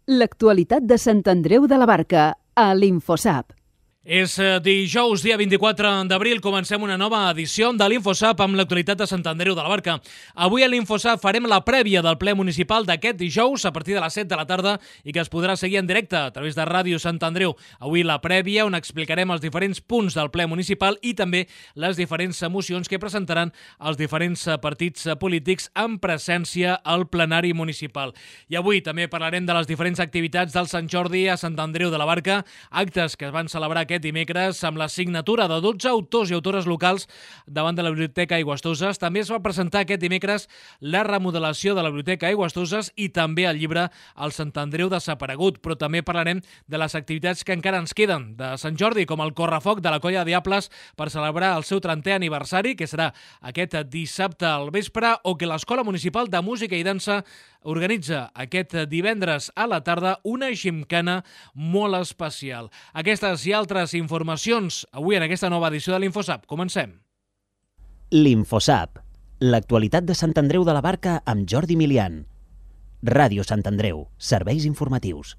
L'actualitat de Sant Andreu de la Barca, a l'Infosap. És dijous, dia 24 d'abril, comencem una nova edició de l'Infosap amb l'actualitat de Sant Andreu de la Barca. Avui a l'Infosap farem la prèvia del ple municipal d'aquest dijous a partir de les 7 de la tarda i que es podrà seguir en directe a través de Ràdio Sant Andreu. Avui la prèvia on explicarem els diferents punts del ple municipal i també les diferents mocions que presentaran els diferents partits polítics en presència al plenari municipal. I avui també parlarem de les diferents activitats del Sant Jordi a Sant Andreu de la Barca, actes que es van celebrar aquest dimecres amb la signatura de 12 autors i autores locals davant de la Biblioteca Aigües-Toses. També es va presentar aquest dimecres la remodelació de la Biblioteca Aigües-Toses i també el llibre El Sant Andreu desaparegut, però també parlarem de les activitats que encara ens queden de Sant Jordi, com el correfoc de la Colla de Diables per celebrar el seu 30è aniversari, que serà aquest dissabte al vespre, o que l'Escola Municipal de Música i Dansa organitza aquest divendres a la tarda una gimcana molt especial. Aquestes i altres informacions avui en aquesta nova edició de l'Infosap. Comencem. L'Infosap, l'actualitat de Sant Andreu de la Barca amb Jordi Milian. Ràdio Sant Andreu, serveis informatius.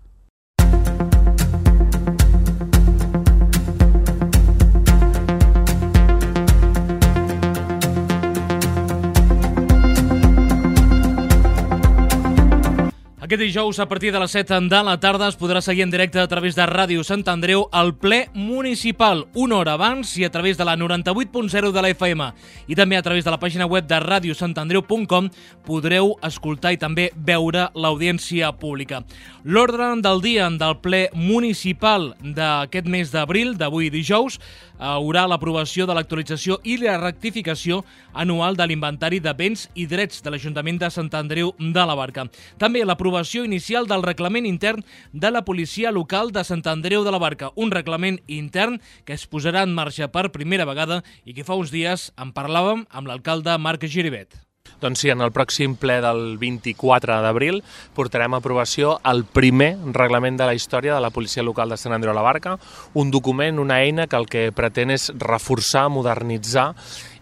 Aquest dijous, a partir de les 7 de la tarda, es podrà seguir en directe a través de Ràdio Sant Andreu el ple municipal, una hora abans i a través de la 98.0 de la FM. I també a través de la pàgina web de radiosantandreu.com podreu escoltar i també veure l'audiència pública. L'ordre del dia del ple municipal d'aquest mes d'abril, d'avui dijous, haurà l'aprovació de l'actualització i la rectificació anual de l'inventari de béns i drets de l'Ajuntament de Sant Andreu de la Barca. També l'aprovació inicial del reglament intern de la policia local de Sant Andreu de la Barca, un reglament intern que es posarà en marxa per primera vegada i que fa uns dies en parlàvem amb l'alcalde Marc Giribet. Doncs sí, en el pròxim ple del 24 d'abril portarem a aprovació el primer reglament de la història de la policia local de Sant Andreu de la Barca, un document, una eina que el que pretén és reforçar, modernitzar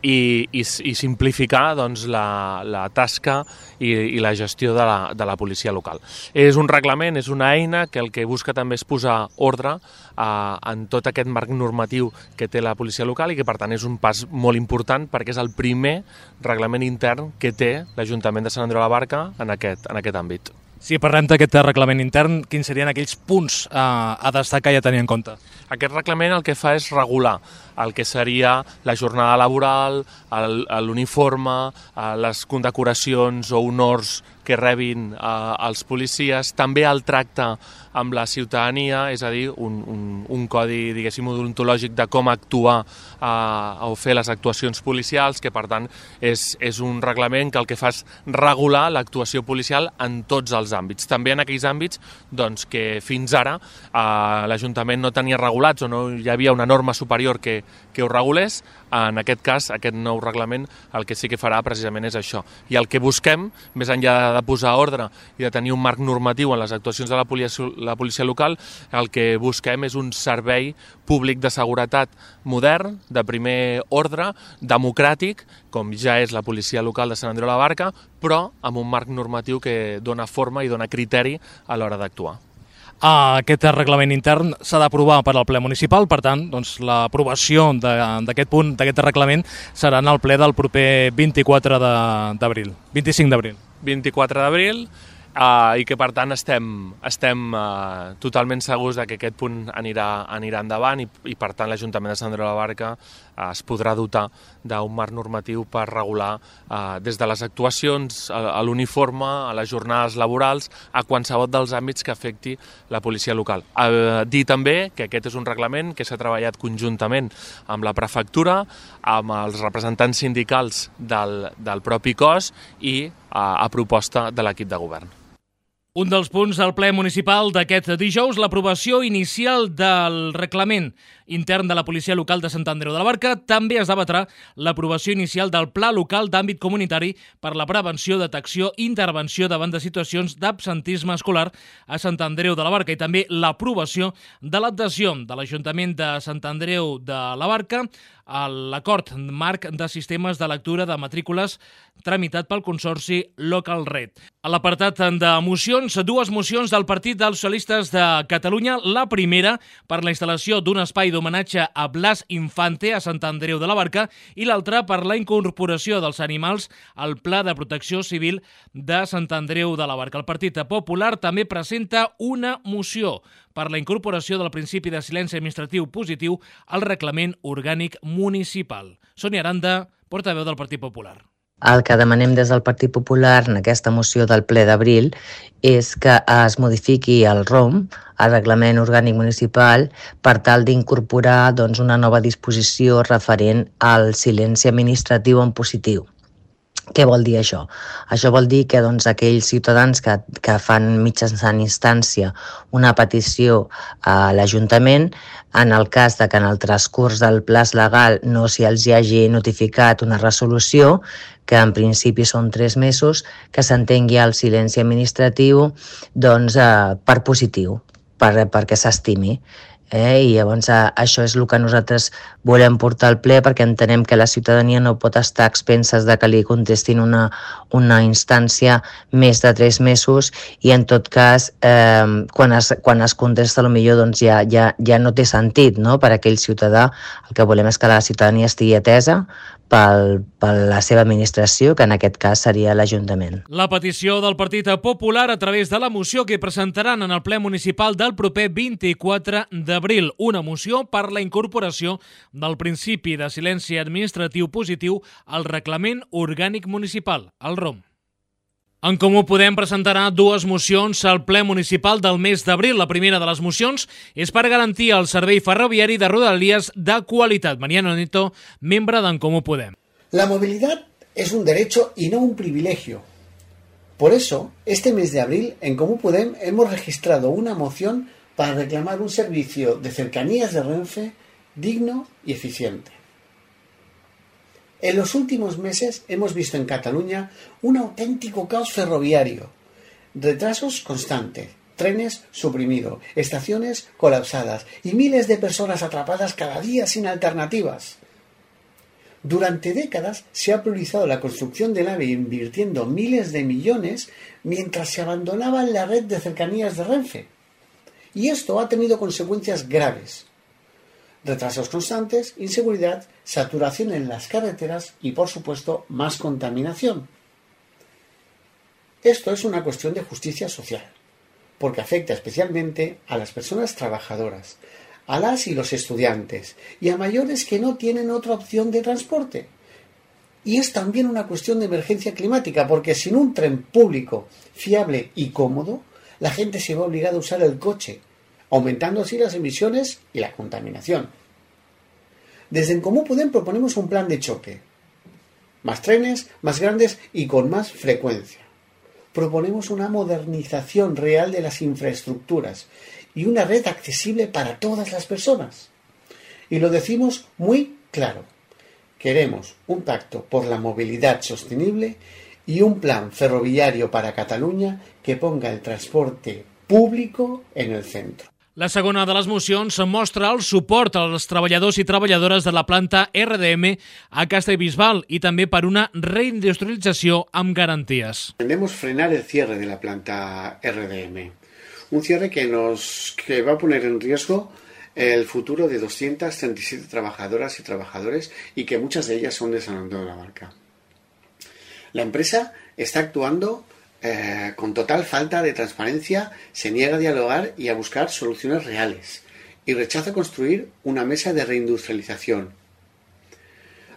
i simplificar doncs, la tasca i la gestió de la policia local. És un reglament, és una eina que el que busca també és posar ordre en tot aquest marc normatiu que té la policia local i que per tant és un pas molt important perquè és el primer reglament intern que té l'Ajuntament de Sant Andreu de la Barca en aquest àmbit. Si parlem d'aquest reglament intern, quins serien aquells punts a destacar i a tenir en compte? Aquest reglament el que fa és regular el que seria la jornada laboral, l'uniforme, les condecoracions o honors que rebin els policies, també el tracte amb la ciutadania, és a dir, un codi, diguéssim, odontològic de com actuar o fer les actuacions policials, que per tant és un reglament que el que fa és regular l'actuació policial en tots els àmbits. També en aquells àmbits doncs, que fins ara l'Ajuntament no tenia regulats o no hi havia una norma superior que ho regulés. En aquest cas, aquest nou reglament el que sí que farà precisament és això. I el que busquem, més enllà de posar ordre i de tenir un marc normatiu en les actuacions de la policia local, el que busquem és un servei públic de seguretat modern, de primer ordre, democràtic, com ja és la policia local de Sant Andreu de la Barca, però amb un marc normatiu que dona forma i dona criteri a l'hora d'actuar. Aquest reglament intern s'ha d'aprovar per al ple municipal, per tant, doncs, l'aprovació d'aquest punt, d'aquest reglament, serà en el ple del proper 24 d'abril, 25 d'abril. 24 d'abril, i que per tant estem totalment segurs que aquest punt anirà endavant i per tant l'Ajuntament de Sant Andreu de la Barca es podrà dotar d'un marc normatiu per regular des de les actuacions, a l'uniforme, a les jornades laborals, a qualsevol dels àmbits que afecti la policia local. Dir també que aquest és un reglament que s'ha treballat conjuntament amb la prefectura, amb els representants sindicals del propi cos i a proposta de l'equip de govern. Un dels punts del ple municipal d'aquest dijous, l'aprovació inicial del reglament intern de la policia local de Sant Andreu de la Barca. També es debatrà l'aprovació inicial del Pla Local d'Àmbit Comunitari per la prevenció, detecció i intervenció davant de situacions d'absentisme escolar a Sant Andreu de la Barca i també l'aprovació de l'adhesió de l'Ajuntament de Sant Andreu de la Barca a l'acord marc de sistemes de lectura de matrícules tramitat pel Consorci Local Red. A l'apartat de mocions doncs, dues mocions del Partit dels Socialistes de Catalunya. La primera, per la instal·lació d'un espai d'homenatge a Blas Infante a Sant Andreu de la Barca, i l'altra per la incorporació dels animals al Pla de Protecció Civil de Sant Andreu de la Barca. El Partit Popular també presenta una moció per la incorporació del principi de silenci administratiu positiu al reglament orgànic municipal. Sònia Aranda, portaveu del Partit Popular. El que demanem des del Partit Popular en aquesta moció del ple d'abril és que es modifiqui el ROM, el Reglament Orgànic Municipal, per tal d'incorporar una nova disposició referent al silenci administratiu en positiu. Què vol dir això? Això vol dir que aquells ciutadans que fan mitjançant instància una petició a l'Ajuntament, en el cas de que en el transcurs del plaç legal no s'hi hagi notificat una resolució, que en principi són 3 mesos, que s'entengui el silenci administratiu per positiu, perquè s'estimi. I llavors això és el que nosaltres volem portar al ple, perquè entenem que la ciutadania no pot estar a expenses de que li contestin una instància més de 3 mesos i en tot cas quan es contesta potser ja no té sentit, no? Per aquell ciutadà. El que volem és que la ciutadania estigui atesa per la seva administració, que en aquest cas seria l'Ajuntament. La petició del Partit Popular a través de la moció que presentaran en el ple municipal del proper 24 d'abril. Una moció per la incorporació del principi de silenci administratiu positiu al reglament orgànic municipal, el ROM. En Comú Podem presentarà dues mocions al ple municipal del mes d'abril. La primera de les mocions és per garantir el servei ferroviari de Rodalies de qualitat. Mariano Nieto, membre d'en Comú Podem. La movilidad es un derecho y no un privilegio. Por eso, este mes de abril, en Comú Podem hemos registrado una moción para reclamar un servicio de cercanías de Renfe digno y eficiente. En los últimos meses hemos visto en Cataluña un auténtico caos ferroviario, retrasos constantes, trenes suprimidos, estaciones colapsadas y miles de personas atrapadas cada día sin alternativas. Durante décadas se ha priorizado la construcción del AVE invirtiendo miles de millones mientras se abandonaba la red de cercanías de Renfe. Y esto ha tenido consecuencias graves. Retrasos constantes, inseguridad, saturación en las carreteras y, por supuesto, más contaminación. Esto es una cuestión de justicia social, porque afecta especialmente a las personas trabajadoras, a las y los estudiantes y a mayores que no tienen otra opción de transporte. Y es también una cuestión de emergencia climática, porque sin un tren público fiable y cómodo, la gente se va obligada a usar el coche, aumentando así las emisiones y la contaminación. Desde En Comú Podem proponemos un plan de choque. Más trenes, más grandes y con más frecuencia. Proponemos una modernización real de las infraestructuras y una red accesible para todas las personas. Y lo decimos muy claro. Queremos un pacto por la movilidad sostenible y un plan ferroviario para Catalunya que ponga el transporte público en el centro. La segona de les mocions mostra el suport als treballadors i treballadores de la planta RDM a Castellbisbal i també per una reindustrialització amb garanties. Pretendemos frenar el cierre de la planta RDM, un cierre que va a poner en riesgo el futuro de 237 trabajadoras y trabajadores y que muchas de ellas son de San Andreu de la Barca. La empresa está actuando con total falta de transparencia, se niega a dialogar y a buscar soluciones reales y rechaza construir una mesa de reindustrialización.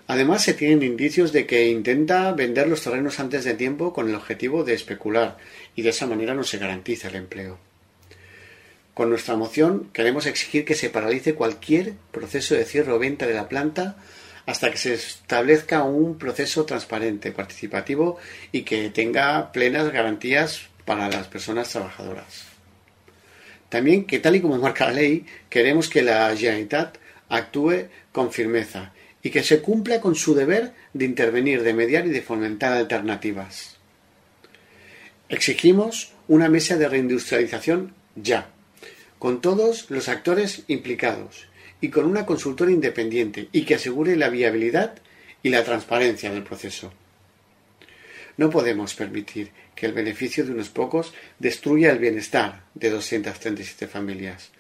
Además, se tienen indicios de que intenta vender los terrenos antes de tiempo con el objetivo de especular y de esa manera no se garantiza el empleo. Con nuestra moción queremos exigir que se paralice cualquier proceso de cierre o venta de la planta hasta que se establezca un proceso transparente, participativo y que tenga plenas garantías para las personas trabajadoras. También que, tal y como marca la ley, queremos que la Generalitat actúe con firmeza y que se cumpla con su deber de intervenir, de mediar y de fomentar alternativas. Exigimos una mesa de reindustrialización ya, con todos los actores implicados y con una consultora independiente y que asegure la viabilidad y la transparencia del proceso. No podemos permitir que el beneficio de unos pocos destruya el bienestar de 237 familias.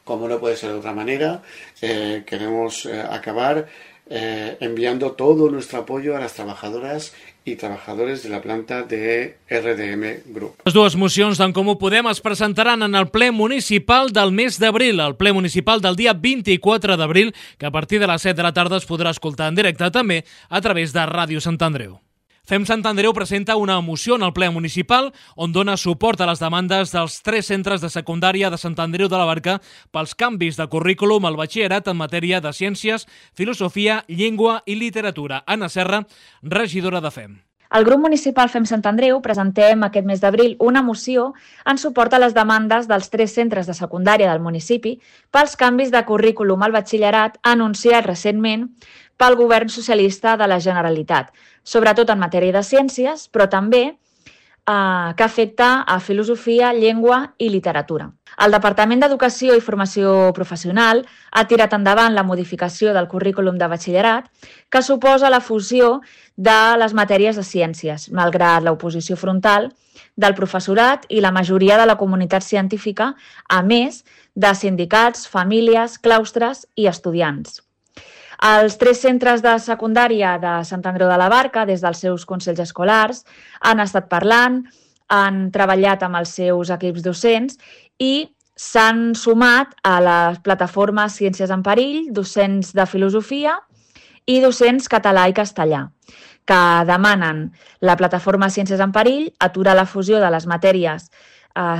Como no puede ser de otra manera, queremos acabar enviando todo nuestro apoyo a las trabajadoras i trabajadores de la planta de RDM Group. Les dues mocions d'en Comú Podem es presentaran en el ple municipal del mes d'abril, el ple municipal del dia 24 d'abril, que a partir de les 7 de la tarda es podrà escoltar en directe també a través de Ràdio Sant Andreu. Fem Sant Andreu presenta una moció en el ple municipal on dona suport a les demandes dels 3 centres de secundària de Sant Andreu de la Barca pels canvis de currículum al batxillerat en matèria de ciències, filosofia, llengua i literatura. Anna Serra, regidora de FEM. El grup municipal FEM Sant Andreu presentem aquest mes d'abril una moció en suport a les demandes dels 3 centres de secundària del municipi pels canvis de currículum al batxillerat anunciat recentment pel govern socialista de la Generalitat, sobretot en matèria de ciències, però també que afecta a filosofia, llengua i literatura. El Departament d'Educació i Formació Professional ha tirat endavant la modificació del currículum de batxillerat que suposa la fusió de les matèries de ciències, malgrat l'oposició frontal del professorat i la majoria de la comunitat científica, a més de sindicats, famílies, claustres i estudiants. Els 3 centres de secundària de Sant Andreu de la Barca, des dels seus consells escolars, han estat parlant, han treballat amb els seus equips docents i s'han sumat a la plataforma Ciències en Perill, docents de filosofia i docents català i castellà, que demanen la plataforma Ciències en Perill aturar la fusió de les matèries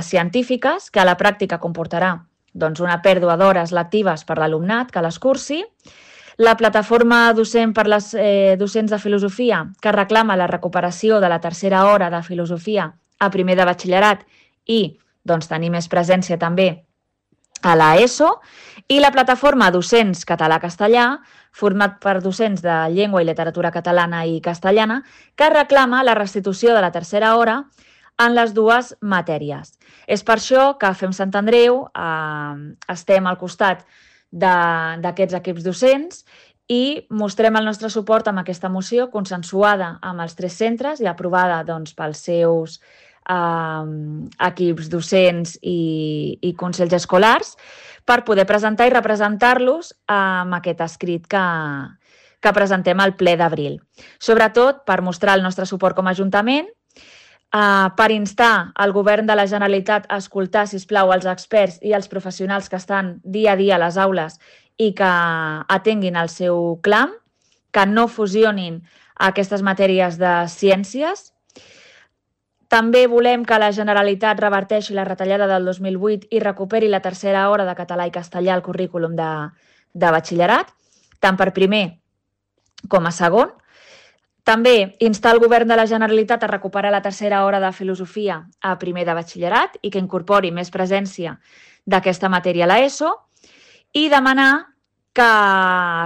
científiques, que a la pràctica comportarà una pèrdua d'hores lectives per l'alumnat que les cursi, la plataforma docent per les docents de filosofia, que reclama la recuperació de la tercera hora de filosofia a primer de batxillerat i tenir més presència també a l'ESO, i la plataforma docents català-castellà, format per docents de llengua i literatura catalana i castellana, que reclama la restitució de la tercera hora en les dues matèries. És per això que FEM Sant Andreu estem al costat d'aquests equips docents i mostrem el nostre suport amb aquesta moció consensuada amb els 3 centres i aprovada pels seus equips docents i consells escolars per poder presentar i representar-los amb aquest escrit que presentem al ple d'abril. Sobretot per mostrar el nostre suport com a Ajuntament, per instar el Govern de la Generalitat a escoltar, sisplau, els experts i els professionals que estan dia a dia a les aules i que atenguin el seu clam, que no fusionin aquestes matèries de ciències. També volem que la Generalitat reverteixi la retallada del 2008 i recuperi la tercera hora de català i castellà al currículum de batxillerat, tant per primer com a segon. També instar el Govern de la Generalitat a recuperar la tercera hora de filosofia a primer de batxillerat i que incorpori més presència d'aquesta matèria a l'ESO i demanar que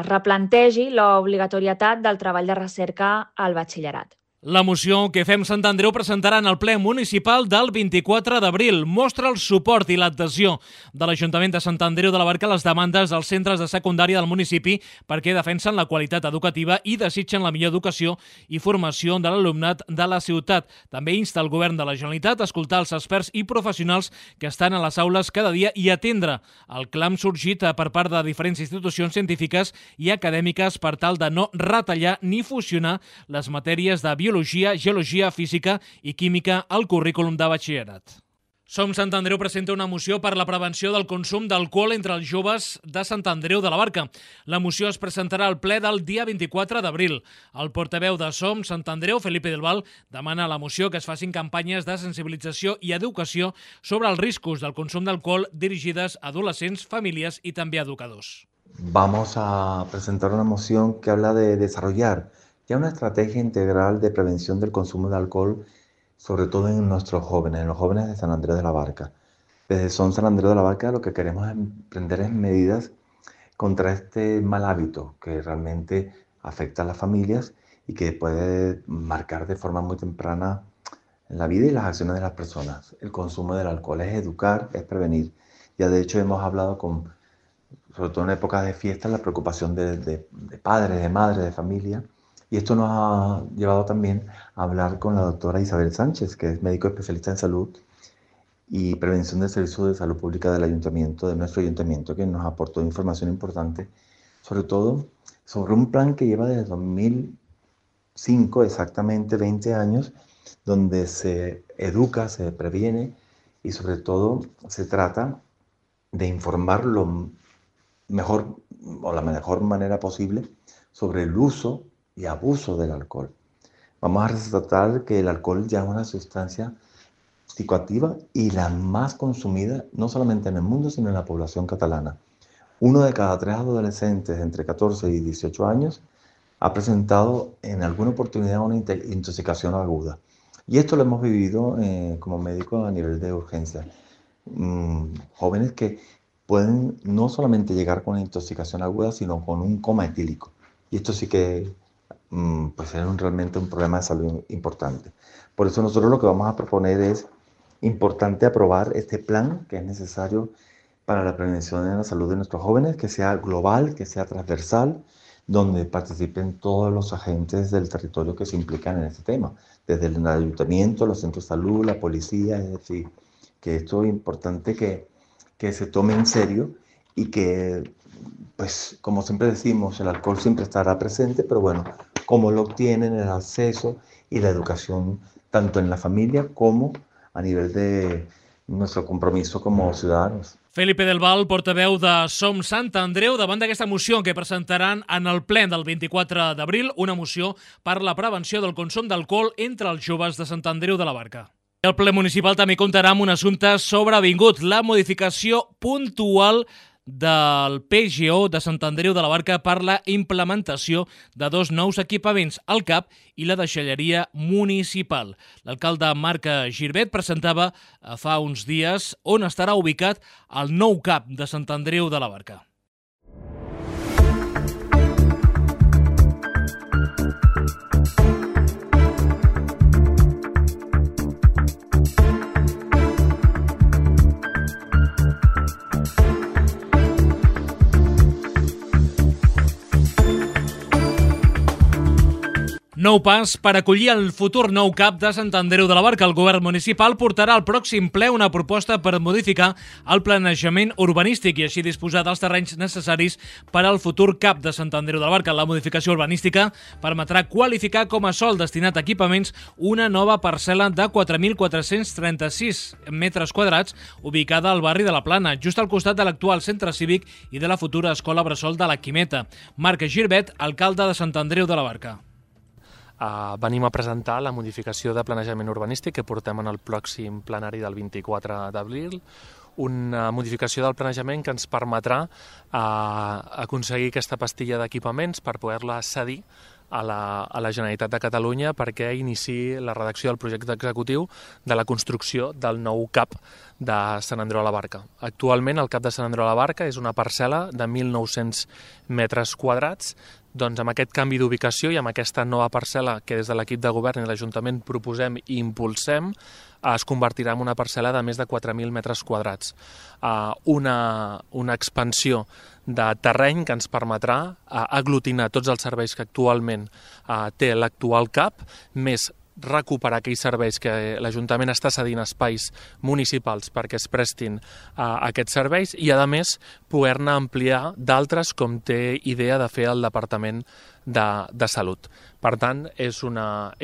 replantegi l'obligatorietat del treball de recerca al batxillerat. La moció que FEM Sant Andreu presentarà en el ple municipal del 24 d'abril mostra el suport i l'adhesió de l'Ajuntament de Sant Andreu de la Barca a les demandes dels centres de secundària del municipi perquè defensen la qualitat educativa i desitgen la millor educació i formació de l'alumnat de la ciutat. També insta el Govern de la Generalitat a escoltar els experts i professionals que estan a les aules cada dia i atendre el clam sorgit per part de diferents institucions científiques i acadèmiques per tal de no retallar ni fusionar les matèries de biologia, geologia, física i química al currículum de batxillerat. Som Sant Andreu presenta una moció per la prevenció del consum d'alcohol entre els joves de Sant Andreu de la Barca. La moció es presentarà al ple del dia 24 d'abril. El portaveu de Som Sant Andreu, Felipe del Val, demana a la moció que es facin campanyes de sensibilització i educació sobre els riscos del consum d'alcohol dirigides a adolescents, famílies i també a educadors. Vamos a presentar una moción que habla de desarrollar ya una estrategia integral de prevención del consumo de alcohol, sobre todo en nuestros jóvenes, en los jóvenes de San Andreu de la Barca. Desde Son San Andreu de la Barca lo que queremos emprender es medidas contra este mal hábito que realmente afecta a las familias y que puede marcar de forma muy temprana en la vida y las acciones de las personas. El consumo del alcohol es educar, es prevenir. Ya de hecho hemos hablado sobre todo en épocas de fiestas, la preocupación de padres, de madres, de familia, Y esto nos ha llevado también a hablar con la doctora Isabel Sánchez, que es médico especialista en salud y prevención del Servicio de Salud Pública del ayuntamiento, de nuestro ayuntamiento, que nos aportó información importante, sobre todo sobre un plan que lleva desde 2005, exactamente 20 años, donde se educa, se previene y sobre todo se trata de informar lo mejor o la mejor manera posible sobre el uso y abuso del alcohol. Vamos a resaltar que el alcohol ya es una sustancia psicoactiva y la más consumida no solamente en el mundo, sino en la población catalana. 1 de cada 3 adolescentes entre 14 y 18 años ha presentado en alguna oportunidad una intoxicación aguda. Y esto lo hemos vivido como médico a nivel de urgencia. Jóvenes que pueden no solamente llegar con una intoxicación aguda, sino con un coma etílico. Y esto sí que pues es realmente un problema de salud importante. Por eso nosotros lo que vamos a proponer es importante aprobar este plan que es necesario para la prevención de la salud de nuestros jóvenes, que sea global, que sea transversal, donde participen todos los agentes del territorio que se implican en este tema, desde el ayuntamiento, los centros de salud, la policía, es decir, que esto es importante que se tome en serio y que, pues, como siempre decimos, el alcohol siempre estará presente, pero bueno, cómo lo obtienen, el acceso y la educación, tanto en la familia como a nivel de nuestro compromiso como ciudadanos. Felipe del Val, portaveu de Som Sant Andreu, davant d'aquesta moció que presentaran en el ple del 24 d'abril, una moció per la prevenció del consum d'alcohol entre els joves de Sant Andreu de la Barca. El ple municipal també comptarà amb un assumpte sobrevingut, la modificació puntual del PGO de Sant Andreu de la Barca per la implementació de 2 nous equipaments, el CAP i la deixalleria municipal. L'alcalde Marc Girbet presentava fa uns dies on estarà ubicat el nou CAP de Sant Andreu de la Barca. Nou pas per acollir el futur nou CAP de Sant Andreu de la Barca. El govern municipal portarà al pròxim ple una proposta per modificar el planejament urbanístic i així disposar dels terrenys necessaris per al futur CAP de Sant Andreu de la Barca. La modificació urbanística permetrà qualificar com a sòl destinat a equipaments una nova parcel·la de 4.436 metres quadrats ubicada al barri de la Plana, just al costat de l'actual centre cívic i de la futura escola bressol de la Quimeta. Marc Girbet, alcalde de Sant Andreu de la Barca. Venim a presentar la modificació de planejament urbanístic que portem en el pròxim plenari del 24 d'abril, una modificació del planejament que ens permetrà aconseguir aquesta pastilla d'equipaments per poder-la cedir a la Generalitat de Catalunya perquè iniciï la redacció del projecte executiu de la construcció del nou CAP de Sant Andreu de la Barca. Actualment el CAP de Sant Andreu de la Barca és una parcel·la de 1.900 metres quadrats. Doncs amb aquest canvi d'ubicació i amb aquesta nova parcel·la que des de l'equip de govern i l'Ajuntament proposem i impulsem, es convertirà en una parcel·la de més de 4.000 metres quadrats. Una expansió de terreny que ens permetrà aglutinar tots els serveis que actualment té l'actual CAP, més recuperar aquells serveis que l'Ajuntament està cedint espais municipals perquè es prestin a aquests serveis i, a més, poder-ne ampliar d'altres com té idea de fer el Departament de Salut. Per tant, és una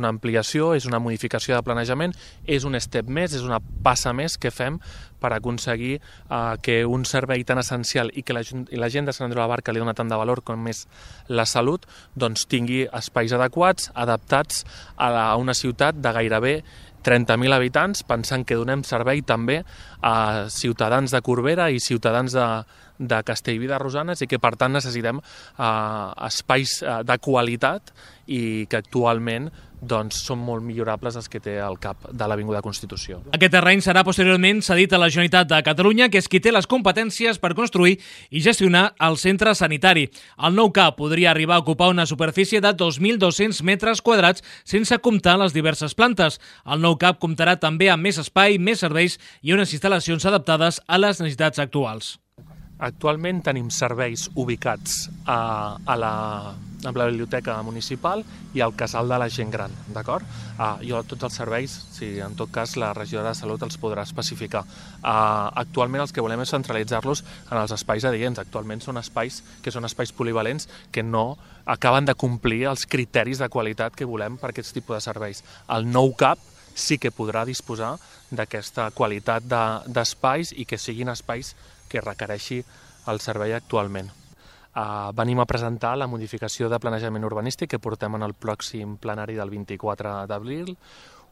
ampliació, és una modificació de planejament, és un step més, és una passa més que fem per aconseguir que un servei tan essencial i que la gent de Sant Andreu de la Barca li dona tant de valor com és la salut, doncs tingui espais adequats, adaptats a una ciutat de gairebé 30.000 habitants, pensant que donem servei també a ciutadans de Corbera i ciutadans de Castellví de Rosanes i que per tant necessitem espais de qualitat i que actualment doncs, són molt millorables els que té el CAP de l'Avinguda Constitució. Aquest terreny serà posteriorment cedit a la Generalitat de Catalunya, que és qui té les competències per construir i gestionar el centre sanitari. El nou CAP podria arribar a ocupar una superfície de 2.200 metres quadrats sense comptar les diverses plantes. El nou CAP comptarà també amb més espai, més serveis i unes instal·lacions adaptades a les necessitats actuals. Actualment tenim serveis ubicats a amb la biblioteca municipal i el casal de la gent gran, d'acord? Jo tots els serveis, si en tot cas la regidora de Salut els podrà especificar. Actualment els que volem és centralitzar-los en els espais adients. Actualment són espais polivalents que no acaben de complir els criteris de qualitat que volem per aquest tipus de serveis. El nou CAP sí que podrà disposar d'aquesta qualitat d'espais i que siguin espais que requereixi el servei actualment. Venim a presentar la modificació de planejament urbanístic que portem en el pròxim plenari del 24 d'abril,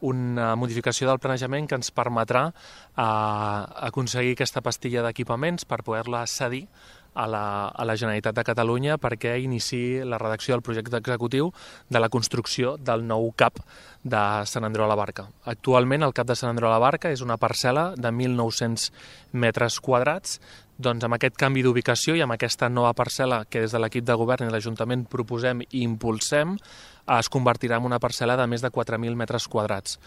una modificació del planejament que ens permetrà aconseguir aquesta pastilla d'equipaments per poder-la cedir a la Generalitat de Catalunya perquè iniciï la redacció del projecte executiu de la construcció del nou CAP de Sant Andreu de la Barca. Actualment el CAP de Sant Andreu de la Barca és una parcel·la de 1.900 metres quadrats. Doncs amb aquest canvi d'ubicació i amb aquesta nova parcel·la que des de l'equip de govern i l'Ajuntament proposem i impulsem, es convertirà en una parcel·la de més de 4.000 metres quadrats.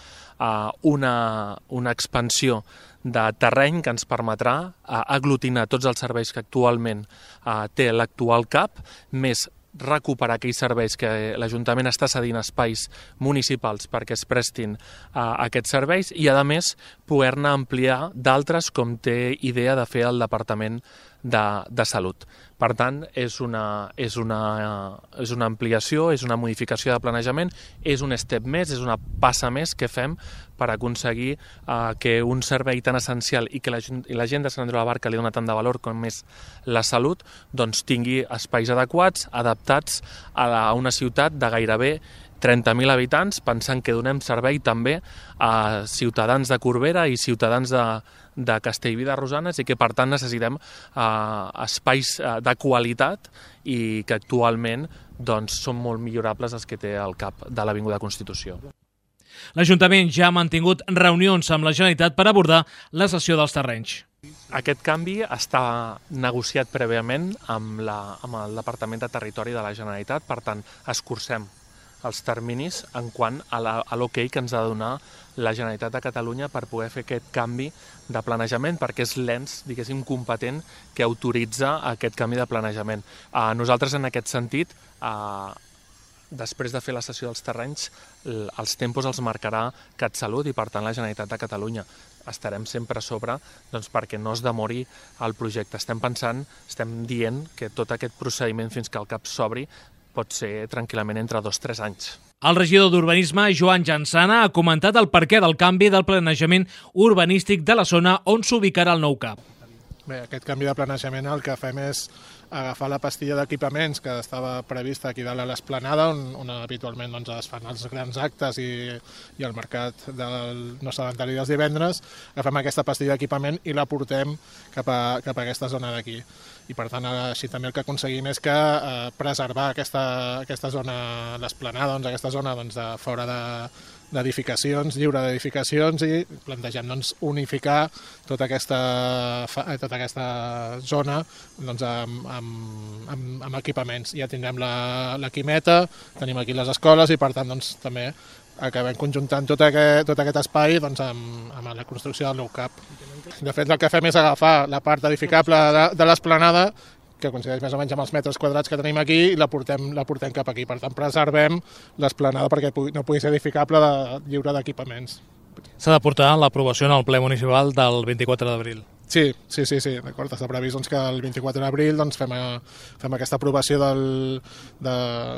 Una expansió de terreny que ens permetrà aglutinar tots els serveis que actualment té l'actual CAP, més recuperar aquells serveis que l'Ajuntament està cedint espais municipals perquè es prestin a aquests serveis i, a més, poder-ne ampliar d'altres com té idea de fer el Departament de Salut. Per tant, és una ampliació, és una modificació de planejament, és un step més, és una passa més que fem per aconseguir que un servei tan essencial i que la gent de Sant Andreu de la Barca li dona tant de valor com és la salut, doncs tingui espais adequats, adaptats a una ciutat de gairebé 30.000 habitants, pensant que donem servei també a ciutadans de Corbera i ciutadans de Castellví de Rosanes i que per tant necessitem espais de qualitat i que actualment doncs, són molt millorables els que té el CAP de l'Avinguda Constitució. L'Ajuntament ja ha mantingut reunions amb la Generalitat per abordar la cessió dels terrenys. Aquest canvi està negociat prèviament amb el Departament de Territori de la Generalitat, per tant, escurcem els terminis en quant a l'ok que ens ha de donar la Generalitat de Catalunya per poder fer aquest canvi de planejament, perquè és l'ens, diguéssim, competent que autoritza aquest canvi de planejament. Nosaltres, en aquest sentit, després de fer la cessió dels terrenys, els tempos els marcarà CatSalut i, per tant, la Generalitat de Catalunya. Estarem sempre a sobre perquè no es demori el projecte. Estem dient que tot aquest procediment fins que el CAP s'obri pot ser tranquil·lament entre 2 o 3 anys. El regidor d'Urbanisme, Joan Jansana, ha comentat el perquè del canvi del planejament urbanístic de la zona on s'ubicarà el nou CAP. Bé, aquest canvi de planejament el que fem és agafar la pastilla d'equipaments que estava prevista aquí dalt a l'Esplanada, on habitualment es fan els grans actes i el mercat del nostre inventari dels divendres. Agafem aquesta pastilla d'equipament i la portem cap a aquesta zona d'aquí. I per tant, així també el que aconseguim és que preservar aquesta zona, l'Esplanada, aquesta zona de fora d'edificacions, lliure d'edificacions, i plantegem unificar tota aquesta zona amb equipaments. Ja tindrem la Quimeta, tenim aquí les escoles i per tant també acabem conjuntant tot aquest espai amb la construcció del nou CAP. De fet, el que fem és agafar la part edificable de l'Esplanada, que coincideix més o menys amb els metres quadrats que tenim aquí, i la portem cap aquí. Per tant, preservem l'Esplanada perquè no pugui ser edificable lliure d'equipaments. S'ha de portar l'aprovació en el ple municipal del 24 d'abril. Sí, d'acord. Està previst que el 24 d'abril fem aquesta aprovació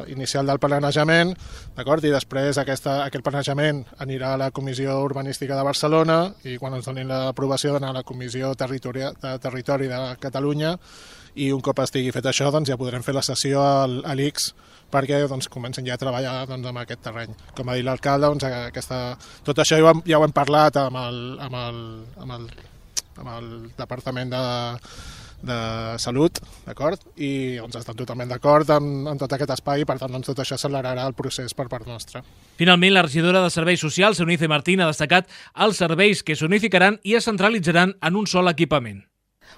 inicial del planejament, d'acord? I després aquest planejament anirà a la Comissió Urbanística de Barcelona i quan ens donin l'aprovació d'anar a la Comissió de Territori de Catalunya, i un cop estigui fet això ja podrem fer la sessió a l'ICS perquè comencen ja a treballar amb aquest terreny. Com ha dit l'alcalde, tot això ja ho hem parlat amb el Departament de Salut, d'acord? I estan totalment d'acord amb tot aquest espai i per tant tot això accelerarà el procés per part nostra. Finalment, la regidora de Serveis Socials, Eunice Martín, ha destacat els serveis que s'unificaran i es centralitzaran en un sol equipament.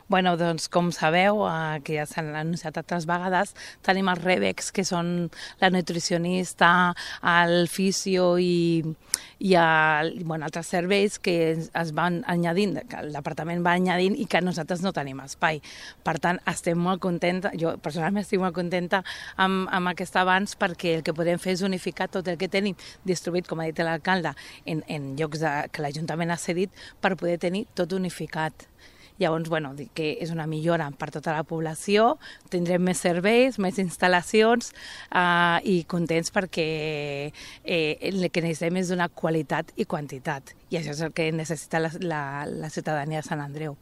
Bueno, doncs, com sabeu, que ja s'han anunciat altres vegades, tenim els REVEX, que són la nutricionista, el fisio i altres serveis que es van añadint, que el departament va añadint i que nosaltres no tenim espai. Per tant, estem molt contenta, jo personalment estic molt contenta amb aquest avanç, perquè el que podem fer és unificar tot el que tenim distribuït, com ha dit l'alcalde, en llocs que l'Ajuntament ha cedit, per poder tenir tot unificat. Llavors, bueno, que és una millora per tota la població, tindrem més serveis, més instal·lacions i contents perquè el que necessitem és donar qualitat i quantitat. I això és el que necessita la ciutadania de Sant Andreu.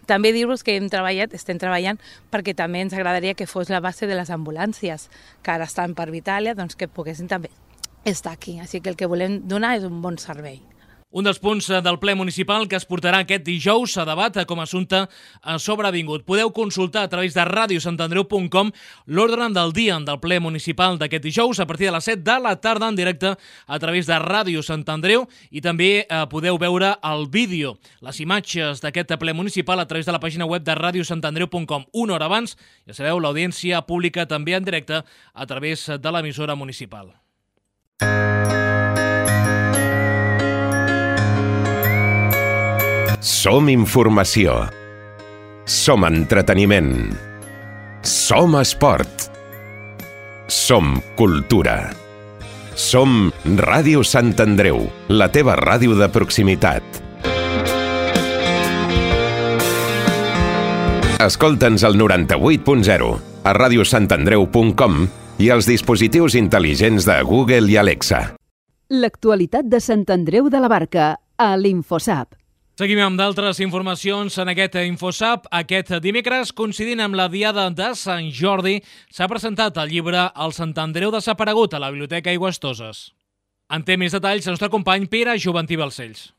També dir-vos que estem treballant perquè també ens agradaria que fos la base de les ambulàncies, que ara estan per Vitàlia, doncs que poguessin també estar aquí. Així que el que volem donar és un bon servei. Un dels punts del ple municipal que es portarà aquest dijous a debat com a assumpte sobrevingut. Podeu consultar a través de radiosantandreu.com l'ordre del dia del ple municipal d'aquest dijous a partir de les 7 de la tarda en directe a través de Ràdio Sant Andreu i també podeu veure el vídeo, les imatges d'aquest ple municipal a través de la pàgina web de radiosantandreu.com. Una hora abans, ja sabeu, l'audiència pública també en directe a través de l'emissora municipal. Som informació. Som entreteniment. Som esport. Som cultura. Som Ràdio Sant Andreu, la teva ràdio de proximitat. Escolta'ns al 98.0, a radiosantandreu.com i als dispositius intel·ligents de Google i Alexa. L'actualitat de Sant Andreu de la Barca a l'Infosap. Seguim amb d'altres informacions en aquest Infosap. Aquest dimecres, coincidint amb la Diada de Sant Jordi, s'ha presentat el llibre El Sant Andreu desaparegut a la Biblioteca Aigüestoses. En té més detalls el nostre company Pere Joventí Balcells.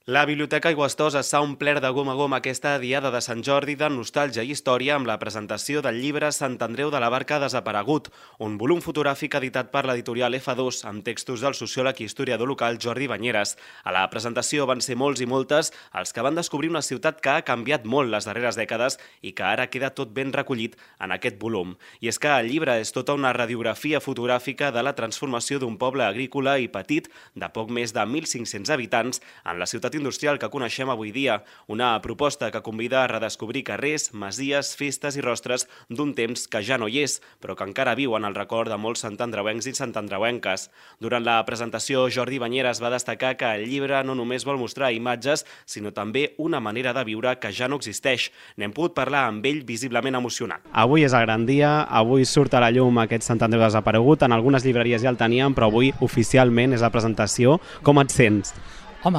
La Biblioteca Aigüestoses s'ha omplert de gom a gom aquesta Diada de Sant Jordi de nostàlgia i història amb la presentació del llibre Sant Andreu de la Barca desaparegut, un volum fotogràfic editat per l'editorial F2 amb textos del sociòleg i historiador local Jordi Banyeres. A la presentació van ser molts i moltes els que van descobrir una ciutat que ha canviat molt les darreres dècades i que ara queda tot ben recollit en aquest volum. I és que el llibre és tota una radiografia fotogràfica de la transformació d'un poble agrícola i petit de poc més de 1.500 habitants en la ciutat industrial que coneixem avui dia, una proposta que convida a redescobrir carrers, masies, festes i rostres d'un temps que ja no hi és, però que encara viu en el record de molts santandreuencs i santandreuenques. Durant la presentació, Jordi Banyeres va destacar que el llibre no només vol mostrar imatges, sinó també una manera de viure que ja no existeix. N'hem pogut parlar amb ell visiblement emocionat. Avui és el gran dia, avui surt a la llum aquest Sant Andreu desaparegut, en algunes llibreries ja el teníem, però avui oficialment és la presentació. Com et sents? Home,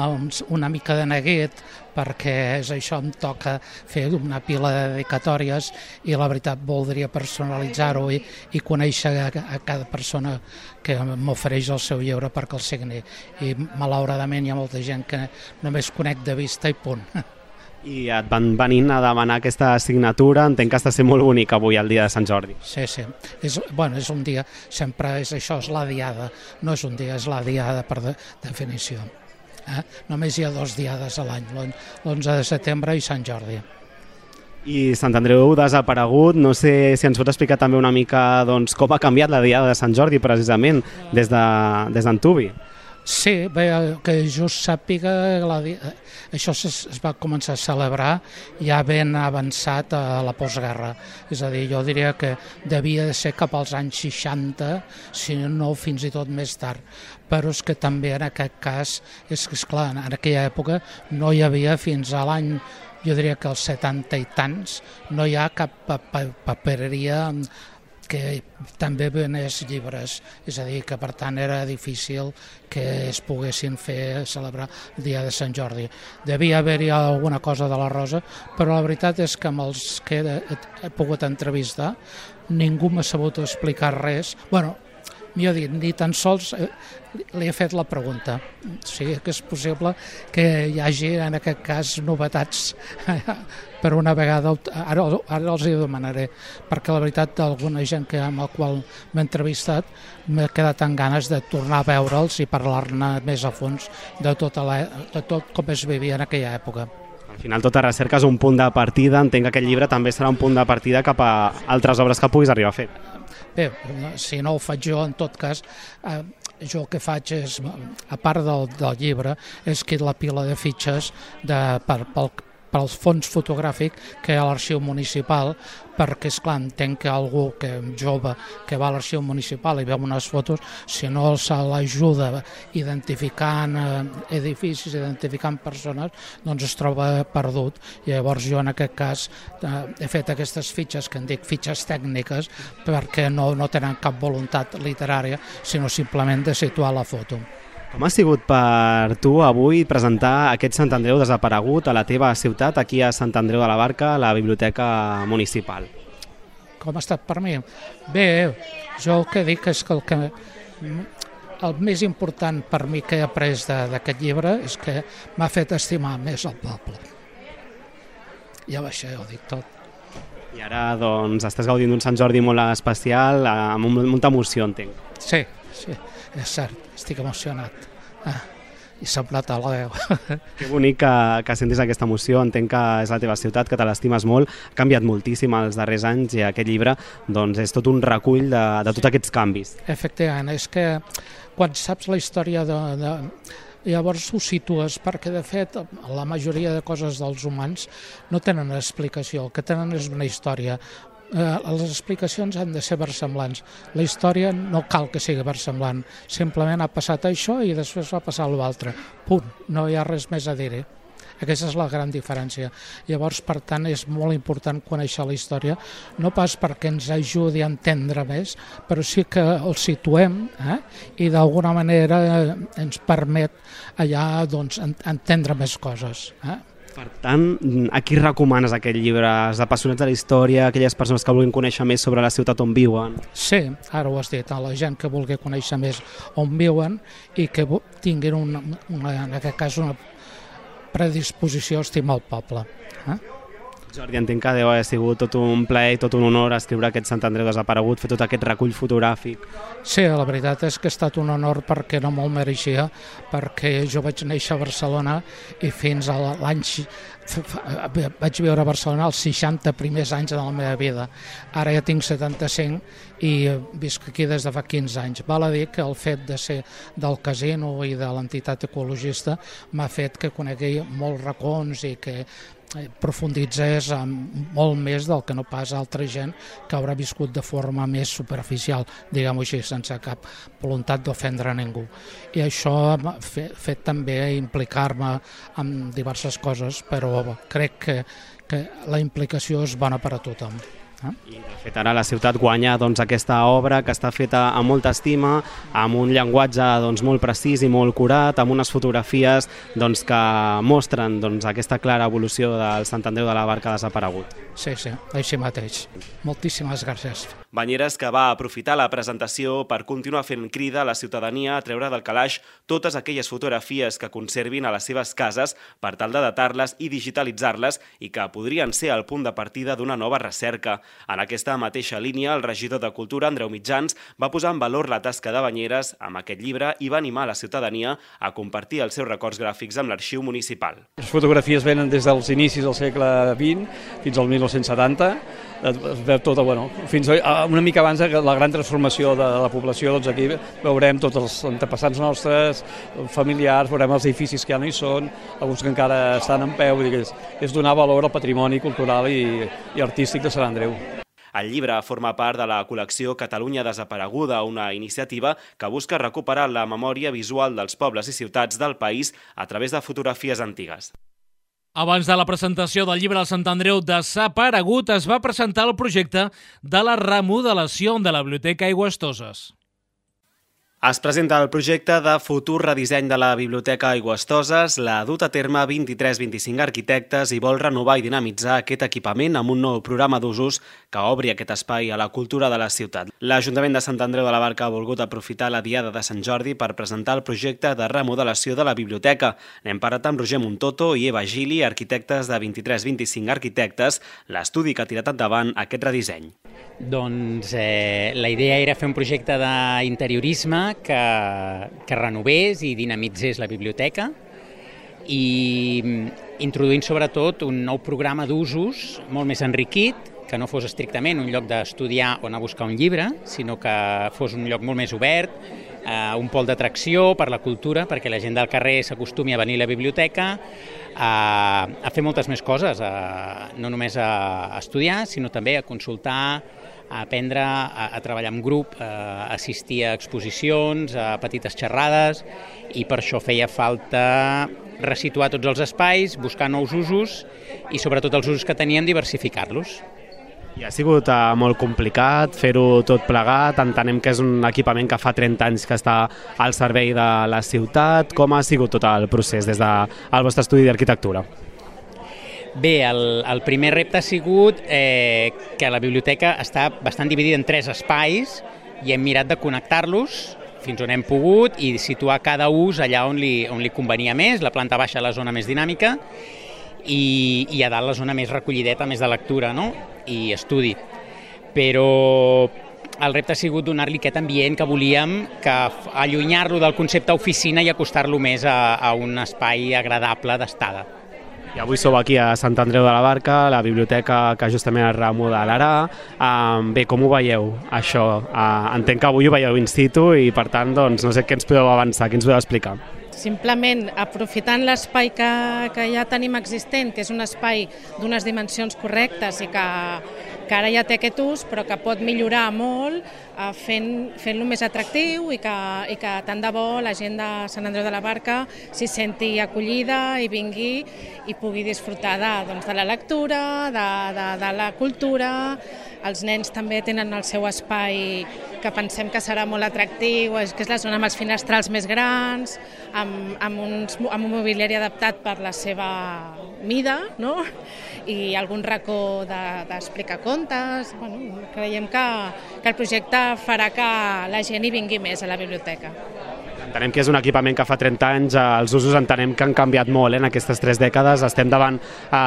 una mica de neguet, perquè és això, em toca fer una pila de dedicatòries i la veritat voldria personalitzar-ho i conèixer a cada persona que m'ofereix el seu llibre perquè el signi. I malauradament hi ha molta gent que només conec de vista i punt. I et van venint a demanar aquesta signatura, entenc que està sent molt bonic avui el dia de Sant Jordi. Sí. És un dia, sempre és això, és la diada, no és un dia, és la diada per definició. Només hi ha 2 diades a l'any, l'11 de setembre i Sant Jordi. I Sant Andreu desaparegut, no sé si ens pots explicar també una mica com ha canviat la diada de Sant Jordi precisament des d'Antuvi. Sí, bé, que just sàpiga, això es va començar a celebrar ja ben avançat a la postguerra. És a dir, jo diria que devia de ser cap als anys 60, si no fins i tot més tard. Però és que també en aquest cas, és clar, en aquella època no hi havia fins a l'any, jo diria que als 70 i tants, no hi ha cap papereria que també venés llibres, és a dir, que per tant era difícil que es poguessin celebrar el dia de Sant Jordi. Devia haver-hi alguna cosa de la Rosa, però la veritat és que amb els que he pogut entrevistar ningú m'ha sabut explicar res. Bueno, millor dit, ni tan sols li he fet la pregunta. Sí que és possible que hi hagi en aquest cas novetats per una vegada, ara els hi demanaré, perquè la veritat d'alguna gent amb la qual m'he entrevistat m'he quedat amb ganes de tornar a veure'ls i parlar-ne més a fons de tot com es vivia en aquella època. Al final tota recerca és un punt de partida, entenc que aquest llibre també serà un punt de partida cap a altres obres que puguis arribar a fer. Bé, si no ho faig jo, en tot cas, jo el que faig és, a part del llibre, és que la pila de fitxes pel fons fotogràfic que hi ha a l'arxiu municipal, perquè, esclar, entenc que algú jove que va a l'arxiu municipal i veu unes fotos, si no se l'ajuda identificant edificis, identificant persones, doncs es troba perdut. I llavors jo en aquest cas he fet aquestes fitxes, que en dic fitxes tècniques, perquè no tenen cap voluntat literària, sinó simplement de situar la foto. Com ha sigut per tu avui presentar aquest Sant Andreu desaparegut a la teva ciutat, aquí a Sant Andreu de la Barca, a la Biblioteca Municipal? Com ha estat per mi? Bé, jo el que dic és que el més important per mi que he après d'aquest llibre és que m'ha fet estimar més el poble. Ja va, això ho dic tot. I ara doncs estàs gaudint d'un Sant Jordi molt especial, amb molta emoció, entenc. Sí, és cert, estic emocionat. I s'ha plantat la veu. Que bonic que sentis aquesta emoció, entenc que és la teva ciutat, que te l'estimes molt, ha canviat moltíssim els darrers anys i aquest llibre doncs, és tot un recull de tots aquests canvis. Efectivament, és que quan saps la història llavors ho situes, perquè de fet la majoria de coses dels humans no tenen explicació, el que tenen és una història. Les explicacions han de ser versemblants. La història no cal que sigui versemblant, simplement ha passat això i després va passar l'altre. Punt, no hi ha res més a dir-hi. Aquesta és la gran diferència. Llavors, per tant, és molt important conèixer la història, no pas perquè ens ajudi a entendre més, però sí que el situem i d'alguna manera ens permet allà entendre més coses. Per tant, a qui recomanes aquest llibre? Els apassionats de la història, aquelles persones que vulguin conèixer més sobre la ciutat on viuen? Sí, ara ho has dit, a la gent que vulgui conèixer més on viuen i que tinguin, en aquest cas, una predisposició a estimar el poble. Jordi, entenc que deu haver sigut tot un plaer i tot un honor escriure aquest Sant Andreu desaparegut, fer tot aquest recull fotogràfic. Sí, la veritat és que ha estat un honor perquè no me'l mereixia, perquè jo vaig néixer a Barcelona i fins a l'any... vaig viure a Barcelona els 60 primers anys de la meva vida. Ara ja tinc 75 i visc aquí des de fa 15 anys. Val a dir que el fet de ser del casino i de l'entitat ecologista m'ha fet que conegui molts racons i que profunditzés molt més del que no pas altra gent que haurà viscut de forma més superficial, diguem-ho així, sense cap voluntat d'ofendre a ningú. I això m'ha fet també implicar-me en diverses coses, però crec que la implicació és bona per a tothom. I de fet ara la ciutat guanya aquesta obra que està feta amb molta estima, amb un llenguatge molt precís i molt curat, amb unes fotografies que mostren aquesta clara evolució del Sant Andreu de la Barca desaparegut. Sí, així mateix. Moltíssimes gràcies. Banyeres, que va aprofitar la presentació per continuar fent crida a la ciutadania a treure del calaix totes aquelles fotografies que conservin a les seves cases per tal de datar-les i digitalitzar-les i que podrien ser el punt de partida d'una nova recerca. En aquesta mateixa línia, el regidor de Cultura, Andreu Mitjans, va posar en valor la tasca de Banyeres amb aquest llibre i va animar la ciutadania a compartir els seus records gràfics amb l'arxiu municipal. Les fotografies venen des dels inicis del segle XX fins al 1970, es veu tot, fins una mica abans de la gran transformació de la població, aquí veurem tots els antepassats nostres, familiars, veurem els edificis que ja no hi són, alguns que encara estan en peu, és donar valor al patrimoni cultural i artístic de Sant Andreu. El llibre forma part de la col·lecció Catalunya Desapareguda, una iniciativa que busca recuperar la memòria visual dels pobles i ciutats del país a través de fotografies antigues. Abans de la presentació del llibre del Sant Andreu desaparegut, es va presentar el projecte de la remodelació de la Biblioteca Aigüestoses. Es presenta el projecte de futur redisseny de la Biblioteca Aigüestoses. L'ha dut a terme 23-25 arquitectes i vol renovar i dinamitzar aquest equipament amb un nou programa d'usos que obri aquest espai a la cultura de la ciutat. L'Ajuntament de Sant Andreu de la Barca ha volgut aprofitar la Diada de Sant Jordi per presentar el projecte de remodelació de la biblioteca. N'hem parlat amb Roger Montoto i Eva Gili, arquitectes de 23-25 arquitectes, l'estudi que ha tirat endavant aquest redisseny. Doncs la idea era fer un projecte d'interiorisme que renovés i dinamitzés la biblioteca i introduint sobretot un nou programa d'usos molt més enriquit, que no fos estrictament un lloc d'estudiar o anar a buscar un llibre, sinó que fos un lloc molt més obert, un pol d'atracció per la cultura, perquè la gent del carrer s'acostumi a venir a la biblioteca, a fer moltes més coses, no només a estudiar, sinó també a consultar, a aprendre a treballar en grup, a assistir a exposicions, a petites xerrades, i per això feia falta resituar tots els espais, buscar nous usos i sobretot els usos que teníem diversificar-los. I ha sigut molt complicat fer-ho tot plegat, entenem que és un equipament que fa 30 anys que està al servei de la ciutat. Com ha sigut tot el procés des del vostre estudi d'arquitectura? Bé, el primer repte ha sigut que la biblioteca està bastant dividida en 3 espais i hem mirat de connectar-los fins on hem pogut i situar cada ús allà on li convenia més, la planta baixa la zona més dinàmica i a dalt la zona més recollideta, més de lectura, no? I estudi. Però el repte ha sigut donar-li aquest ambient que volíem, que allunyar-lo del concepte oficina i acostar-lo més a un espai agradable d'estada. I avui sou aquí a Sant Andreu de la Barca, la biblioteca que justament es remodelarà. Bé, com ho veieu, això? Entenc que avui ho veieu in situ i, per tant, doncs, no sé què ens podeu avançar, què ens podeu explicar. Simplement aprofitant l'espai que ja tenim existent, que és un espai d'unes dimensions correctes i que ara ja té aquest ús, però que pot millorar molt fent-lo més atractiu i que tant de bo la gent de Sant Andreu de la Barca s'hi senti acollida i vingui i pugui disfrutar de la lectura, de la cultura. Els nens també tenen el seu espai que pensem que serà molt atractiu, que és la zona amb els finestrals més grans, amb un mobiliari adaptat per la seva mida, no? I algun racó d'explicar contes. Bueno, creiem que el projecte farà que la gent hi vingui més a la biblioteca. Entenem que és un equipament que fa 30 anys, els usos entenem que han canviat molt en aquestes 3 dècades. Estem davant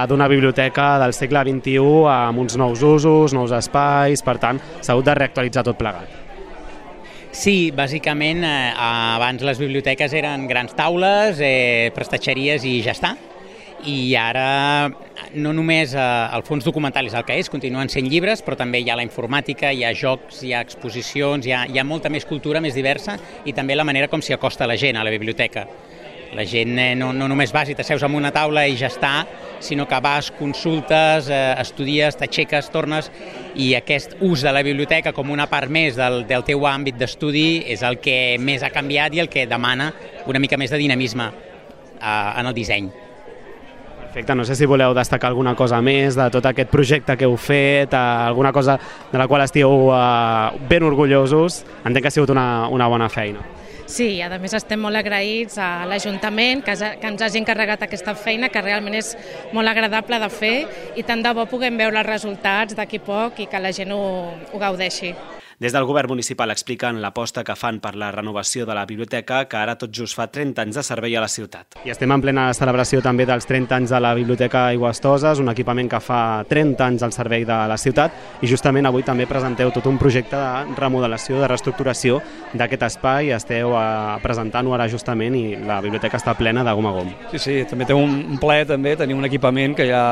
d'una biblioteca del segle XXI amb uns nous usos, nous espais, per tant, s'ha hagut de reactualitzar tot plegat. Sí, bàsicament, abans les biblioteques eren grans taules, prestatgeries i ja està. I ara no només el fons documental és el que és, continuen sent llibres, però també hi ha la informàtica, hi ha jocs, hi ha exposicions, hi ha molta més cultura, més diversa, i també la manera com s'hi acosta la gent a la biblioteca. La gent no només vas i t'asseus en una taula i ja està, sinó que vas, consultes, estudies, t'aixeques, tornes, i aquest ús de la biblioteca com una part més del teu àmbit d'estudi és el que més ha canviat i el que demana una mica més de dinamisme en el disseny. Perfecte, no sé si voleu destacar alguna cosa més de tot aquest projecte que heu fet, alguna cosa de la qual estigueu ben orgullosos. Entenc que ha sigut una bona feina. Sí, a més estem molt agraïts a l'Ajuntament que ens hagi encarregat aquesta feina, que realment és molt agradable de fer i tant de bo puguem veure els resultats d'aquí poc i que la gent ho gaudeixi. Des del govern municipal expliquen l'aposta que fan per la renovació de la biblioteca, que ara tot just fa 30 anys de servei a la ciutat. I estem en plena celebració també dels 30 anys de la Biblioteca Aigües-Toses, un equipament que fa 30 anys al servei de la ciutat, i justament avui també presenteu tot un projecte de remodelació, de reestructuració d'aquest espai. Esteu presentant-ho ara justament i la biblioteca està plena de gom a gom. Sí, també té un ple, també, tenir un equipament que ja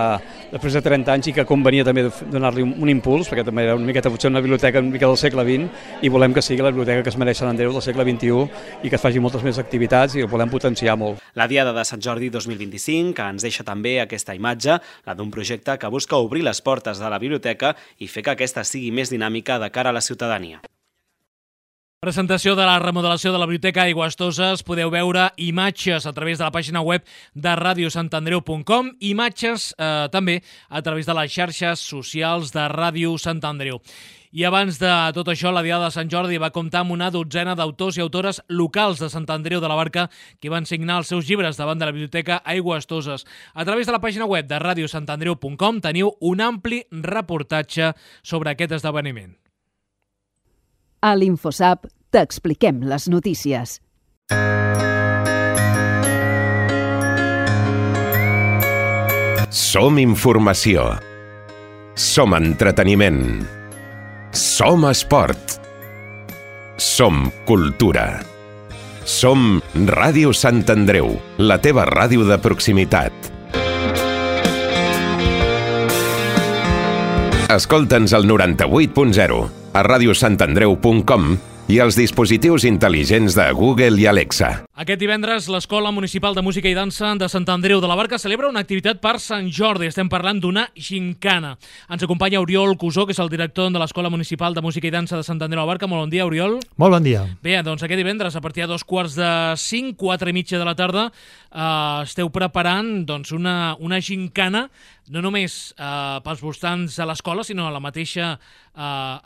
després de 30 anys i que convenia també donar-li un impuls, perquè també era una miqueta potser una biblioteca una mica del segle XX, i volem que sigui la biblioteca que es mereix Sant Andreu del segle XXI i que es faci moltes més activitats i ho volem potenciar molt. La Diada de Sant Jordi 2025, que ens deixa també aquesta imatge, la d'un projecte que busca obrir les portes de la biblioteca i fer que aquesta sigui més dinàmica de cara a la ciutadania. Presentació de la remodelació de la Biblioteca Aigües-Toses. Podeu veure imatges a través de la pàgina web de radiosantandreu.com, imatges també a través de les xarxes socials de Ràdio Sant Andreu. I abans de tot això, la Diada de Sant Jordi va comptar amb una dotzena d'autors i autores locals de Sant Andreu de la Barca que van signar els seus llibres davant de la Biblioteca Aigües-Toses. A través de la pàgina web de radiosantandreu.com teniu un ampli reportatge sobre aquest esdeveniment. A l'InfoSap t'expliquem les notícies. Som informació. Som entreteniment. Som esport. Som cultura. Som Ràdio Sant Andreu, la teva ràdio de proximitat. Escolta'ns al 98.0, a radiosantandreu.com i als dispositius intel·ligents de Google i Alexa. Aquest divendres, l'Escola Municipal de Música i Dansa de Sant Andreu de la Barca celebra una activitat per Sant Jordi. Estem parlant d'una gincana. Ens acompanya Oriol Cusó, que és el director de l'Escola Municipal de Música i Dansa de Sant Andreu de la Barca. Molt bon dia, Oriol. Molt bon dia. Bé, doncs aquest divendres, a partir de 2:45, 4:30 de la tarda, esteu preparant una gincana, no només pels voltants de l'escola, sinó a la mateixa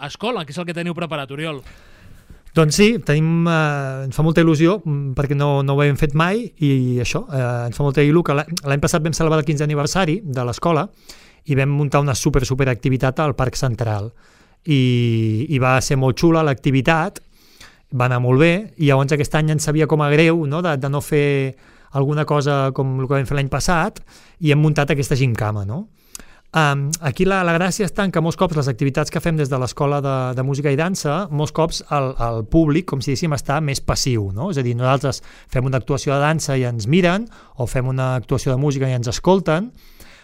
escola. Què és el que teniu preparat, Oriol? Doncs sí, ens fa molta il·lusió perquè no ho hem fet mai i això, ens fa molta il·lusió que l'any passat vam celebrar el 15è aniversari de l'escola i vam muntar una super activitat al Parc Central i va ser molt xula l'activitat, va anar molt bé i llavors aquest any ens sabia com a greu, no?, de no fer alguna cosa com el que vam fer l'any passat i hem muntat aquesta gincama, no? Aquí la gràcia està en que molts cops les activitats que fem des de l'Escola de Música i Dansa, molts cops el públic, com si diguéssim, està més passiu, no? És a dir, nosaltres fem una actuació de dansa i ens miren, o fem una actuació de música i ens escolten,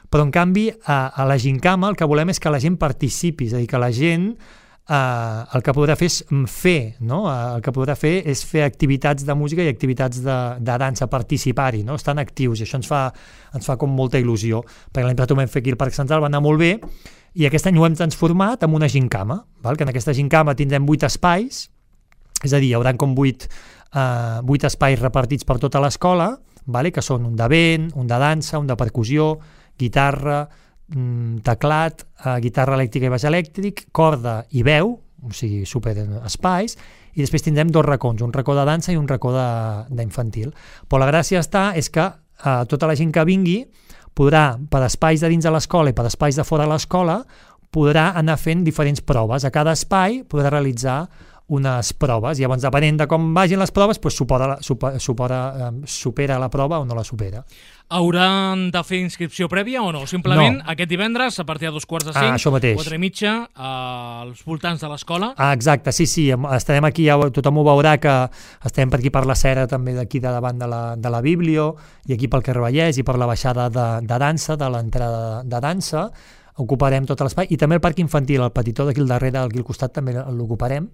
però en canvi a la gincama el que volem és que la gent participi, és a dir, que la gent el que podrà fer és fer, no? El que podrà fer és fer activitats de música i activitats de dansa, participar-hi, no? Estan actius i això ens fa com molta il·lusió, perquè l'any passat ho vam fer aquí al Parc Central, va anar molt bé i aquest any ho hem transformat en una gincama, val? Que en aquesta gincama tindrem 8 espais, és a dir, hi haurà com 8 espais repartits per tota l'escola, vale? Que són un de vent, un de dansa, un de percussió, guitarra, teclat, guitarra elèctrica i baix elèctric, corda i veu, o sigui, super espais, i després tindrem 2 racons, un racó de dansa i un racó d'infantil. Però la gràcia és que tota la gent que vingui podrà, per espais de dins de l'escola i per espais de fora de l'escola, podrà anar fent diferents proves. A cada espai podrà realitzar unes proves, i llavors depenent de com vagin les proves, supera la prova o no la supera. Hauran de fer inscripció prèvia o no? Simplement aquest divendres, a partir de 2:45, 4:30, als voltants de l'escola? Exacte, sí, estarem aquí, tothom ho veurà que estem per aquí per la Cera, també d'aquí de davant de la Biblio, i aquí pel carrer Vallès i per la baixada de dansa, de l'entrada de dansa, ocuparem tot l'espai, i també el parc infantil, el petitó d'aquí al darrere, aquí al costat també l'ocuparem,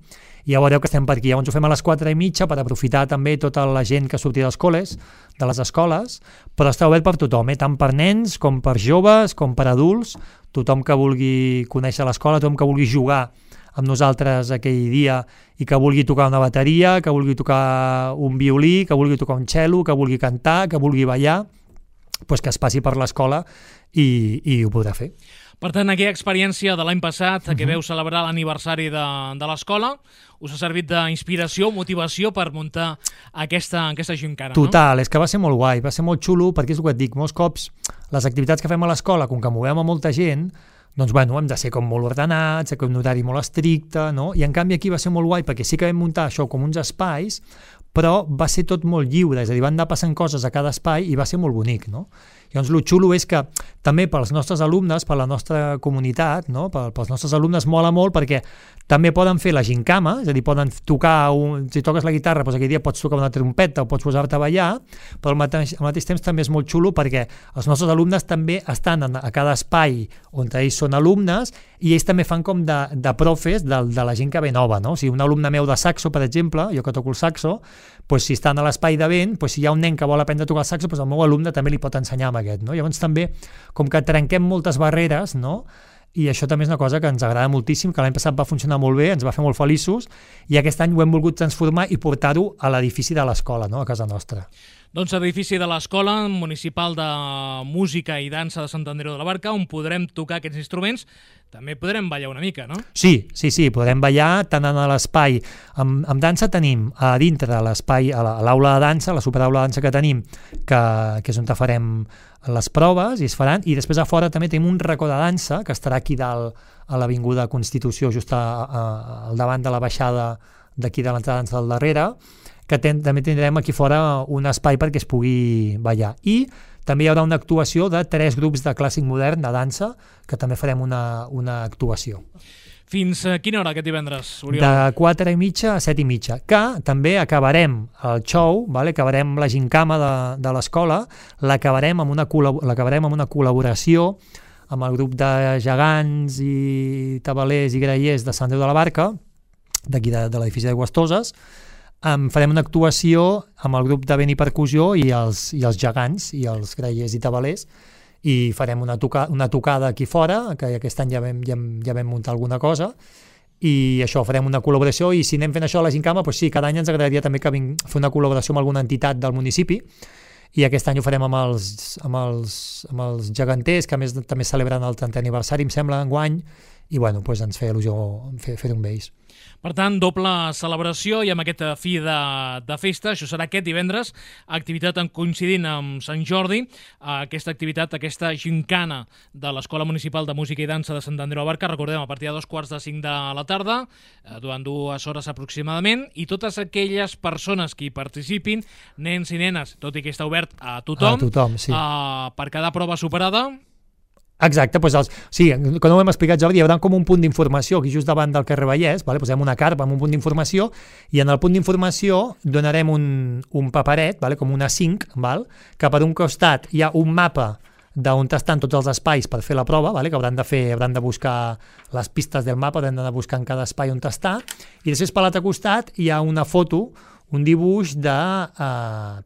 i ja veureu que estem per aquí. Llavors ho fem a les 4:30 per aprofitar també tota la gent que surti dels col·les, de les escoles, però està obert per tothom, tant per nens com per joves, com per adults, tothom que vulgui conèixer l'escola, tothom que vulgui jugar amb nosaltres aquell dia i que vulgui tocar una bateria, que vulgui tocar un violí, que vulgui tocar un cello, que vulgui cantar, que vulgui ballar, doncs que es passi per l'escola i ho podrà fer. Per tant, aquella experiència de l'any passat que veu celebrar l'aniversari de l'escola us ha servit d'inspiració, motivació per muntar aquesta gincana, no? Total, és que va ser molt guai, va ser molt xulo, perquè és el que et dic, molts cops les activitats que fem a l'escola, com que movem a molta gent, doncs bueno, hem de ser com molt ordenats, com un horari molt estricte, no? I en canvi aquí va ser molt guai, perquè sí que vam muntar això com uns espais, però va ser tot molt lliure, és a dir, van anar passant coses a cada espai i va ser molt bonic, no? Llavors, el xulo és que també pels nostres alumnes, per la nostra comunitat, no? Pels nostres alumnes mola molt perquè també poden fer la gincama, és a dir, poden tocar, si toques la guitarra, doncs aquell dia pots tocar una trompeta o pots posar-te a ballar, però al mateix temps també és molt xulo perquè els nostres alumnes també estan a cada espai on ells són alumnes i ells també fan com de profes de la gent que ve nova, no? O sigui, un alumne meu de saxo, per exemple, jo que toco el saxo, doncs si estan a l'espai de vent, doncs si hi ha un nen que vol aprendre a tocar el saxo, doncs el meu alumne també li pot ensenyar amb aquest, no? Llavors també, com que trenquem moltes barreres, no? I això també és una cosa que ens agrada moltíssim, que l'any passat va funcionar molt bé, ens va fer molt feliços, i aquest any ho hem volgut transformar i portar-ho a l'edifici de l'escola, no? A casa nostra. Doncs edifici de l'Escola Municipal de Música i Dansa de Sant Andreu de la Barca, on podrem tocar aquests instruments, també podrem ballar una mica, no? Sí, podrem ballar tant en l'espai. Amb dansa tenim a dintre de l'espai, a l'aula de dansa, la superaula de dansa que tenim, que és on farem les proves i es faran, i després a fora també tenim un racó de dansa que estarà aquí dalt a l'Avinguda Constitució, just al davant de la baixada d'aquí de l'entrada de dansa del darrere, que també tindrem aquí fora un espai perquè es pugui ballar. I també hi haurà una actuació de 3 grups de clàssic modern de dansa, que també farem una actuació. Fins a quina hora aquest divendres, Oriol? De 4:30 a 7:30, que també acabarem el show, vale? Acabarem la gincama de l'escola, l'acabarem amb una col·laboració amb el grup de gegants i tabalers i grallers de Sant Andreu de la Barca, d'aquí de l'edifici d'Aigüestoses. Farem una actuació amb el grup de vent i percussió i els gegants i els grallers i tabalers, i farem una tocada aquí fora, que aquest any ja vam muntar alguna cosa, i això, farem una col·laboració, i si anem fent això a la gincama, doncs sí, cada any ens agradaria també fer una col·laboració amb alguna entitat del municipi, i aquest any ho farem amb els geganters, que a més també celebren el 30è aniversari, em sembla, enguany, i bueno, doncs ens feia il·lusió fer-ho amb ells. Per tant, doble celebració i amb aquesta fi de festa. Això serà aquest divendres, activitat coincidint amb Sant Jordi, aquesta activitat, aquesta gincana de l'Escola Municipal de Música i Dansa de Sant Andreu de la Barca, recordem, a partir de 2:45 de la tarda, durant 2 hores aproximadament, i totes aquelles persones que hi participin, nens i nenes, tot i que està obert a tothom, sí. Per cada prova superada. Exacte, doncs sí, quan ho hem explicat, Jordi, hi haurà com un punt d'informació aquí just davant del carrer Vallès, vale? Posem una carpa amb un punt d'informació, i en el punt d'informació donarem un paperet, vale? Com una 5, val? Que per un costat hi ha un mapa d'on estan tots els espais per fer la prova, vale? Que hauran de buscar les pistes del mapa, hauran d'anar buscant cada espai on està, i després per l'altre costat hi ha una foto, un dibuix d'una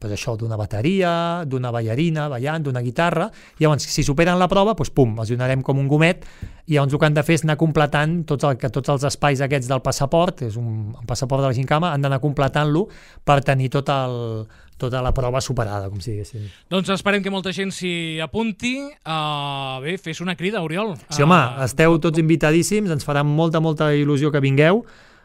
bateria, d'una ballarina ballant, d'una guitarra. Llavors, si superen la prova, doncs pum, els donarem com un gomet, i llavors el que han de fer és anar completant tots els espais aquests del passaport, és un passaport de la gincama, han d'anar completant-lo per tenir tota la prova superada, com si diguéssim. Doncs esperem que molta gent s'hi apunti. Bé, fes una crida, Oriol. Sí, home, esteu tots invitadíssims, ens farà molta il·lusió que vingueu.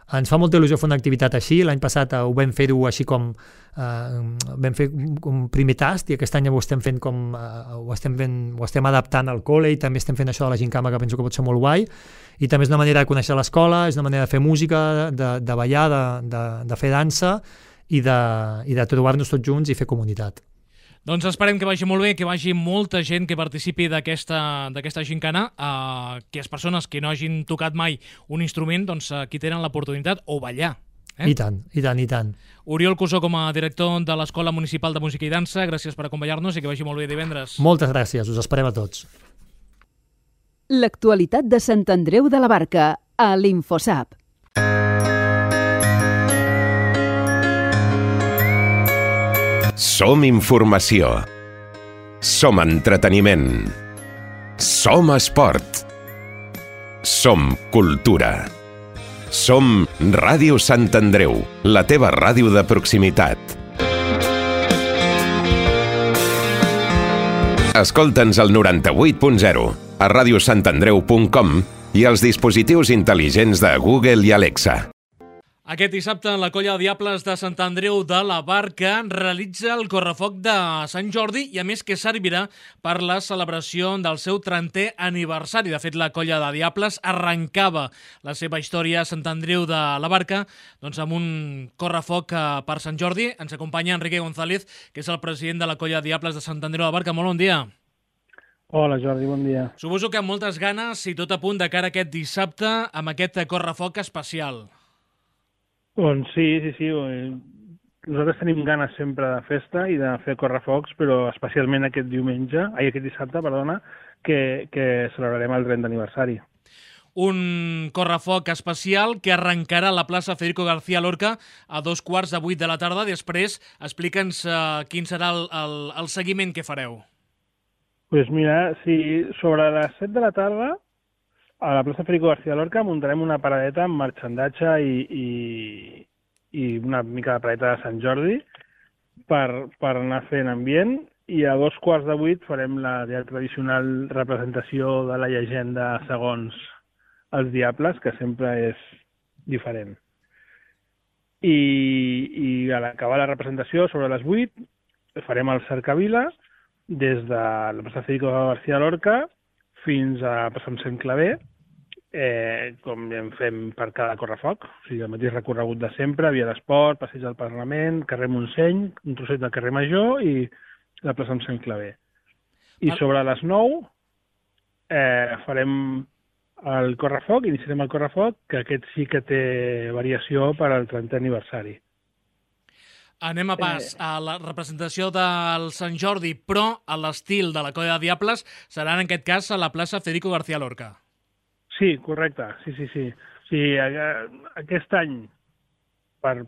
Ens fa molta il·lusió fer una activitat així. L'any passat ho vam fer-ho així com vam fer un primer tast, i aquest any ho estem fent ho estem adaptant al col·le, i també estem fent això de la gincama, que penso que pot ser molt guai, i també és una manera de conèixer l'escola, és una manera de fer música, de ballar, de fer dansa, i de trobar-nos tots junts i fer comunitat. Doncs esperem que vagi molt bé, que vagi molta gent que participi d'aquesta gincana, que les persones que no hagin tocat mai un instrument, doncs aquí tenen l'oportunitat, o ballar. I tant. Oriol Cusó, com a director de l'Escola Municipal de Música i Dansa, gràcies per acompanyar-nos i que vagi molt bé divendres. Moltes gràcies, us esperem a tots. L'actualitat de Sant Andreu de la Barca, a l'Infosap. Som informació. Som entreteniment. Som esport. Som cultura. Som Ràdio Sant Andreu, la teva ràdio de proximitat. Escolta'ns al 98.0, a radiosantandreu.com i als dispositius intel·ligents de Google i Alexa. Aquest dissabte, la colla de Diables de Sant Andreu de la Barca realitza el correfoc de Sant Jordi, i a més que servirà per la celebració del seu 30è aniversari. De fet, la colla de Diables arrencava la seva història a Sant Andreu de la Barca doncs amb un correfoc per Sant Jordi. Ens acompanya Enrique González, que és el president de la colla de Diables de Sant Andreu de la Barca. Molt bon dia. Hola, Jordi, bon dia. Suposo que amb moltes ganes i tot a punt de cara a aquest dissabte amb aquest correfoc especial. Doncs sí. Nosaltres tenim ganes sempre de festa i de fer correfocs, però especialment aquest dissabte, que celebrarem el 30è aniversari. Un correfoc especial que arrencarà a la plaça Federico García Lorca a 7:15 de la tarda. Després, explica'ns quin serà el seguiment que fareu. Doncs mira, sí, sobre les 7 de la tarda, a la plaça Federico García Lorca muntarem una paradeta amb marxandatge i una mica de paradeta de Sant Jordi per anar fent ambient, i a 7:15 farem la ja tradicional representació de la llegenda segons els Diables, que sempre és diferent. I a l'acabar la representació, sobre les 8, farem el cercavila des de la plaça Federico García Lorca fins a passar Sant Claver, com en fem per cada correfoc, o sigui, el mateix recorregut de sempre, via d'esport, passeig del Parlament, carrer Montseny, un trosset del carrer Major i la plaça Sant Claver. I sobre les 9 farem el correfoc, iniciarem el correfoc, que aquest sí que té variació per al 30è aniversari. Anem a pas a la representació del Sant Jordi, però a l'estil de la Colla de Diables serà en aquest cas a la plaça Federico García Lorca. Sí, correcte, sí. Sí, aquest any, per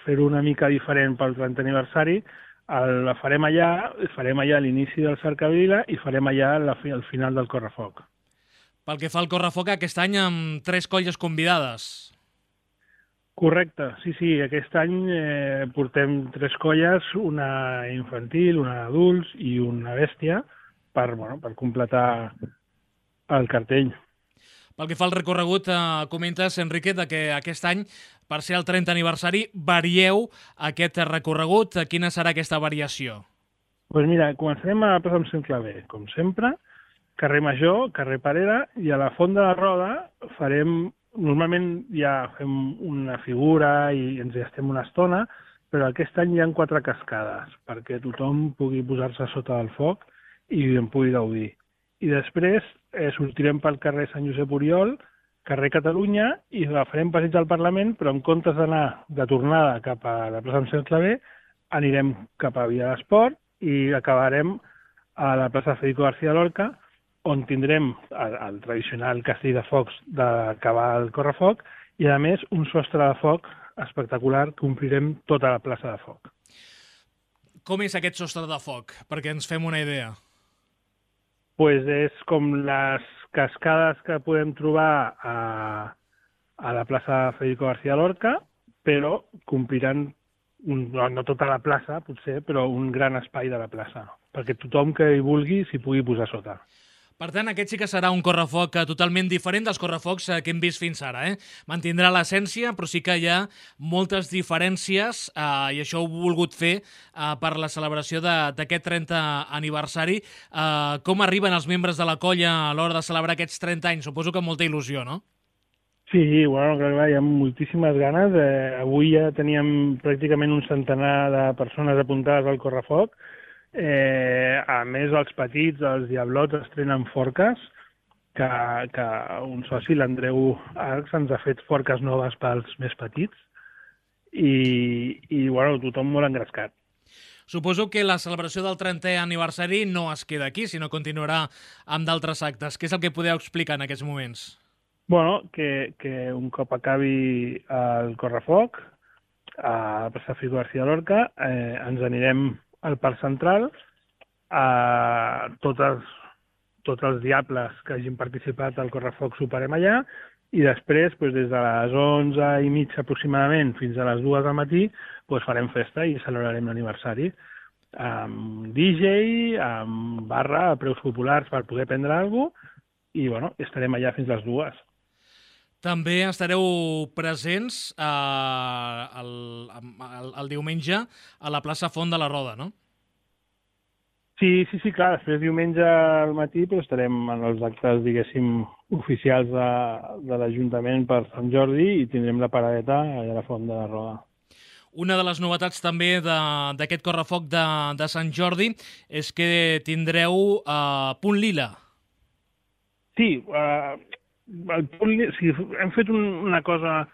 fer-ho una mica diferent pel 30è aniversari, la farem allà a l'inici del cercavila i farem allà al final del correfoc. Pel que fa al correfoc, aquest any amb 3 colles convidades. Correcte, sí, aquest any portem 3 colles, una infantil, una d'adults i una bèstia, per completar el cartell. Pel que fa al recorregut, comentes, Enrique, que aquest any, per ser el 30è aniversari, varieu aquest recorregut. Quina serà aquesta variació? Doncs mira, començarem a la plaça amb Sant Claver, com sempre, carrer Major, carrer Parera, i a la Font de la Roda normalment ja fem una figura i ens hi estem una estona, però aquest any hi ha 4 cascades, perquè tothom pugui posar-se sota del foc i en pugui gaudir. I després sortirem pel carrer Sant Josep Oriol, carrer Catalunya, i farem passeig al Parlament, però en comptes d'anar de tornada cap a la plaça amb Sant Claver, anirem cap a Via d'Esport i acabarem a la plaça Federico García Lorca, on tindrem el tradicional castell de focs d'acabar el correfoc i, a més, un sostre de foc espectacular que omplirem tota la plaça de foc. Com és aquest sostre de foc? Perquè ens fem una idea. Pues és com les cascades que podem trobar a la plaça Federico García Lorca, però compliran, no tota la plaça, potser, però un gran espai de la plaça, perquè tothom que hi vulgui s'hi pugui posar sota. Per tant, aquest sí que serà un correfoc totalment diferent dels correfocs que hem vist fins ara. Mantindrà l'essència, però sí que hi ha moltes diferències i això ho he volgut fer per la celebració d'aquest 30è aniversari. Com arriben els membres de la colla a l'hora de celebrar aquests 30 anys? Suposo que amb molta il·lusió, no? Sí, bueno, clar, hi ha moltíssimes ganes. Avui ja teníem pràcticament un centenar de persones apuntades al correfoc. A més, els petits, els diablots, estrenen forques, que un soci, l'Andreu Arcs, ens ha fet forques noves pels més petits i bueno, tothom molt engrescat. Suposo que la celebració del 30è aniversari no es queda aquí, sinó continuarà amb d'altres actes. Què és el que podeu explicar en aquests moments? Bueno, que un cop acabi el correfoc, a la plaça Federico García Lorca, ens anirem al Parc Central, tots els diables que hagin participat al correfoc soparem allà i després, des de les 11:30 aproximadament fins a les 2 del matí, farem festa i celebrarem l'aniversari amb DJ, amb barra a preus populars per poder prendre alguna cosa i estarem allà fins les 2. També estareu presents el diumenge a la plaça Font de la Roda, no? Sí, clar, després diumenge al matí estarem en els actes, diguéssim, oficials de l'Ajuntament per Sant Jordi i tindrem la paradeta allà a la Font de la Roda. Una de les novetats també d'aquest correfoc de Sant Jordi és que tindreu punt lila. Sí, hem fet una cosa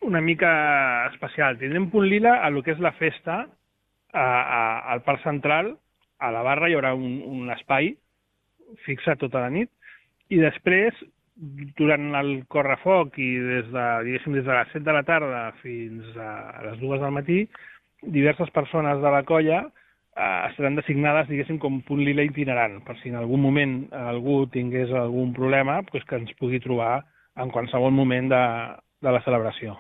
una mica especial. Tindrem punt lila a lo que és la festa al Parc Central. A la barra hi haurà un espai fixat tota la nit i després, durant el correfoc i des de les 7 de la tarda fins a les 2 del matí, diverses persones de la colla estaran designades, diguéssim, com punt lila itinerant, per si en algun moment algú tingués algun problema, que ens pugui trobar en qualsevol moment de la celebració.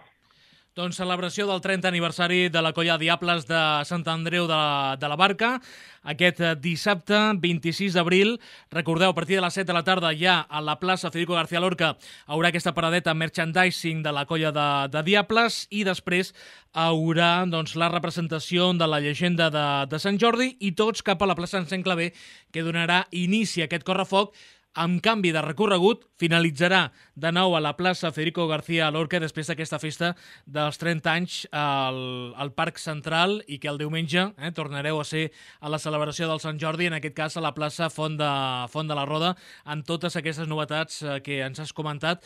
Doncs celebració del 30è aniversari de la Colla Diables de Sant Andreu de la Barca, aquest dissabte 26 d'abril. Recordeu, a partir de les 7 de la tarda ja a la plaça Federico García Lorca haurà aquesta paradeta merchandising de la Colla de Diables i després haurà la representació de la llegenda de Sant Jordi i tots cap a la plaça Sant Claver, que donarà inici a aquest correfoc amb canvi de recorregut, finalitzarà de nou a la plaça Federico García Lorca després d'aquesta festa dels 30 anys al Parc Central i que el diumenge tornareu a ser a la celebració del Sant Jordi, en aquest cas a la plaça Font de la Roda, amb totes aquestes novetats que ens has comentat.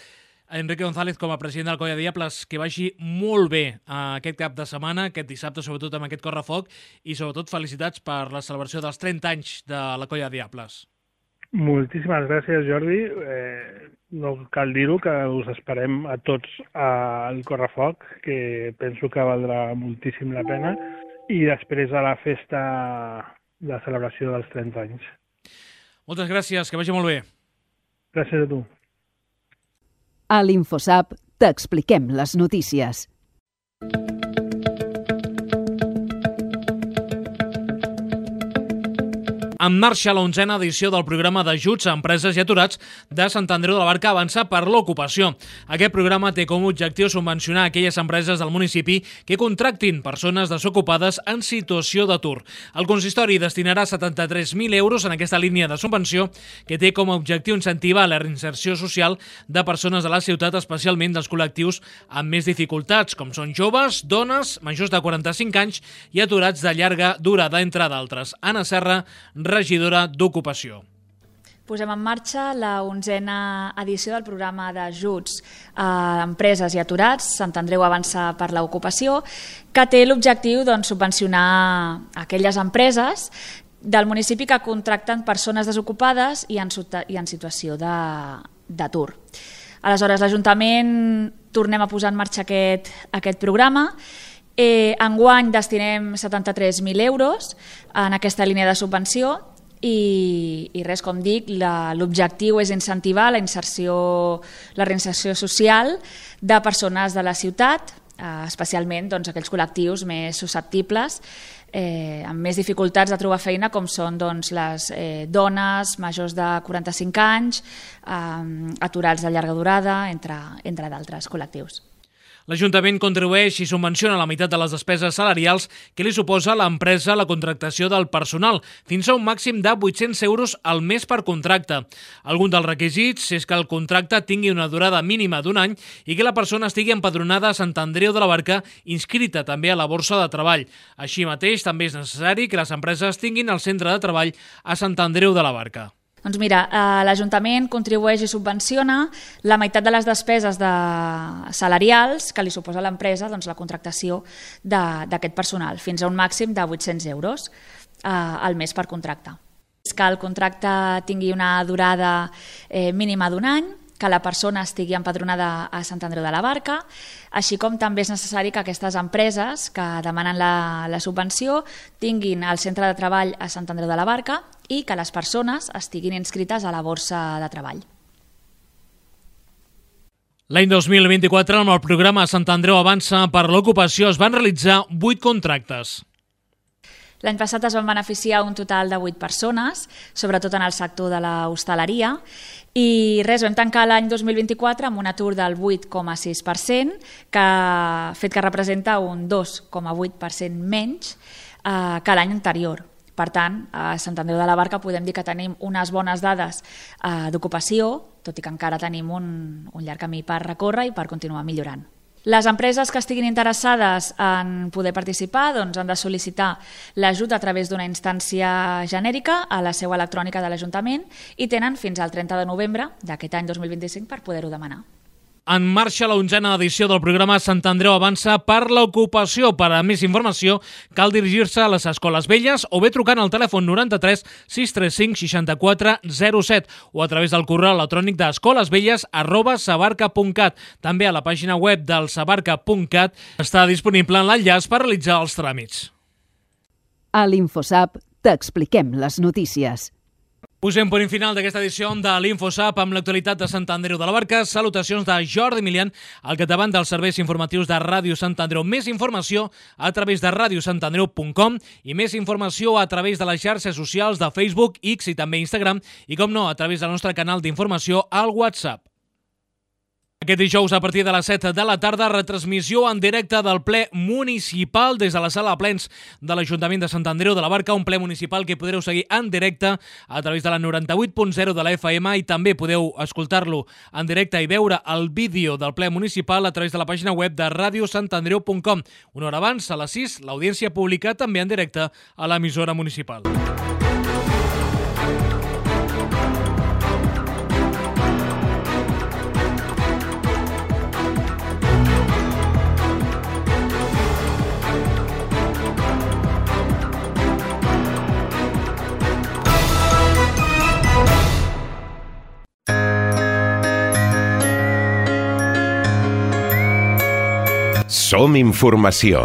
Enrique González, com a president del Colla Diables, que vagi molt bé aquest cap de setmana, aquest dissabte, sobretot amb aquest correfoc, i sobretot felicitats per la celebració dels 30 anys de la Colla Diables. Moltíssimes gràcies, Jordi. No cal dir-ho, que us esperem a tots al correfoc, que penso que valdrà moltíssim la pena, i després a la festa de celebració dels 30 anys. Moltes gràcies, que vagi molt bé. Gràcies a tu. A l'InfoSap t'expliquem les notícies. En marxa la 11a edició del programa d'ajuts a empreses i aturats de Sant Andreu de la Barca Avançar per l'Ocupació. Aquest programa té com a objectiu subvencionar aquelles empreses del municipi que contractin persones desocupades en situació d'atur. El consistori destinarà 73.000 euros en aquesta línia de subvenció que té com a objectiu incentivar la reinserció social de persones de la ciutat, especialment dels col·lectius amb més dificultats, com són joves, dones, majors de 45 anys i aturats de llarga durada, entre d'altres. Anna Serra, regidora d'Ocupació. Posem en marxa la 11a edició del programa d'ajuts a empreses i aturats, Sant Andreu Avançar per l'Ocupació, que té l'objectiu subvencionar aquelles empreses del municipi que contracten persones desocupades i en situació d'atur. Aleshores, l'Ajuntament tornem a posar en marxa aquest programa. Enguany destinem 73.000 euros en aquesta línia de subvenció i res, com dic, l'objectiu és incentivar la reinserció social de persones de la ciutat, especialment aquells col·lectius més susceptibles, amb més dificultats de trobar feina, com són les dones majors de 45 anys, aturats de llarga durada, entre d'altres col·lectius. L'Ajuntament contribueix i subvenciona la meitat de les despeses salarials que li suposa a l'empresa la contractació del personal, fins a un màxim de 800 euros al mes per contracte. Algun dels requisits és que el contracte tingui una durada mínima d'un any i que la persona estigui empadronada a Sant Andreu de la Barca, inscrita també a la Borsa de Treball. Així mateix, també és necessari que les empreses tinguin el centre de treball a Sant Andreu de la Barca. Doncs mira, l'Ajuntament contribueix i subvenciona la meitat de les despeses salarials que li suposa a l'empresa la contractació d'aquest personal, fins a un màxim de 800 euros al mes per contracte. És que el contracte tingui una durada mínima d'un any, que la persona estigui empadronada a Sant Andreu de la Barca, així com també és necessari que aquestes empreses que demanen la subvenció tinguin el centre de treball a Sant Andreu de la Barca i que les persones estiguin inscrites a la Borsa de Treball. L'any 2024, amb el programa Sant Andreu Avança per l'Ocupació, es van realitzar 8 contractes. L'any passat es van beneficiar un total de 8 persones, sobretot en el sector de l'hostaleria, i vam tancar l'any 2024 amb un atur del 8,6%, fet que representa un 2,8% menys que l'any anterior. Per tant, a Sant Andreu de la Barca podem dir que tenim unes bones dades d'ocupació, tot i que encara tenim un llarg camí per recórrer i per continuar millorant. Les empreses que estiguin interessades en poder participar han de sol·licitar l'ajut a través d'una instància genèrica a la seu electrònica de l'Ajuntament i tenen fins al 30 de novembre d'aquest any 2025 per poder-ho demanar. En marxa la 11a edició del programa Sant Andreu Avança per l'Ocupació. Per a més informació cal dirigir-se a les Escoles Velles o bé trucant al telèfon 93 635 64 07 o a través del correu electrònic d'escolasvelles@sabarca.cat. També a la pàgina web del sabarca.cat està disponible l'enllaç per realitzar els tràmits. A l'InfoSap t'expliquem les notícies. Posem punt final d'aquesta edició de l'InfoSap amb l'actualitat de Sant Andreu de la Barca. Salutacions de Jordi Milian, al capdavant dels serveis informatius de Ràdio Sant Andreu. Més informació a través de radiosantandreu.com i més informació a través de les xarxes socials de Facebook, X i també Instagram i, com no, a través del nostre canal d'informació al WhatsApp. Aquest dijous, a partir de les 7 de la tarda, retransmissió en directe del ple municipal des de la sala de plens de l'Ajuntament de Sant Andreu de la Barca, un ple municipal que podreu seguir en directe a través de la 98.0 de la FM i també podeu escoltar-lo en directe i veure el vídeo del ple municipal a través de la pàgina web de radiosantandreu.com. Una hora abans, a les 6, l'audiència pública també en directe a l'emissora municipal. Som informació.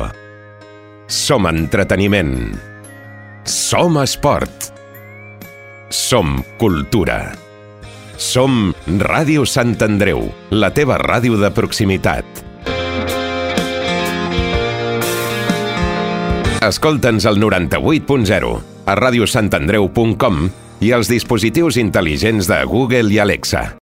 Som entreteniment. Som esport. Som cultura. Som Ràdio Sant Andreu, la teva ràdio de proximitat. Escolta'ns al 98.0, a radiosantandreu.com i als dispositius intel·ligents de Google i Alexa.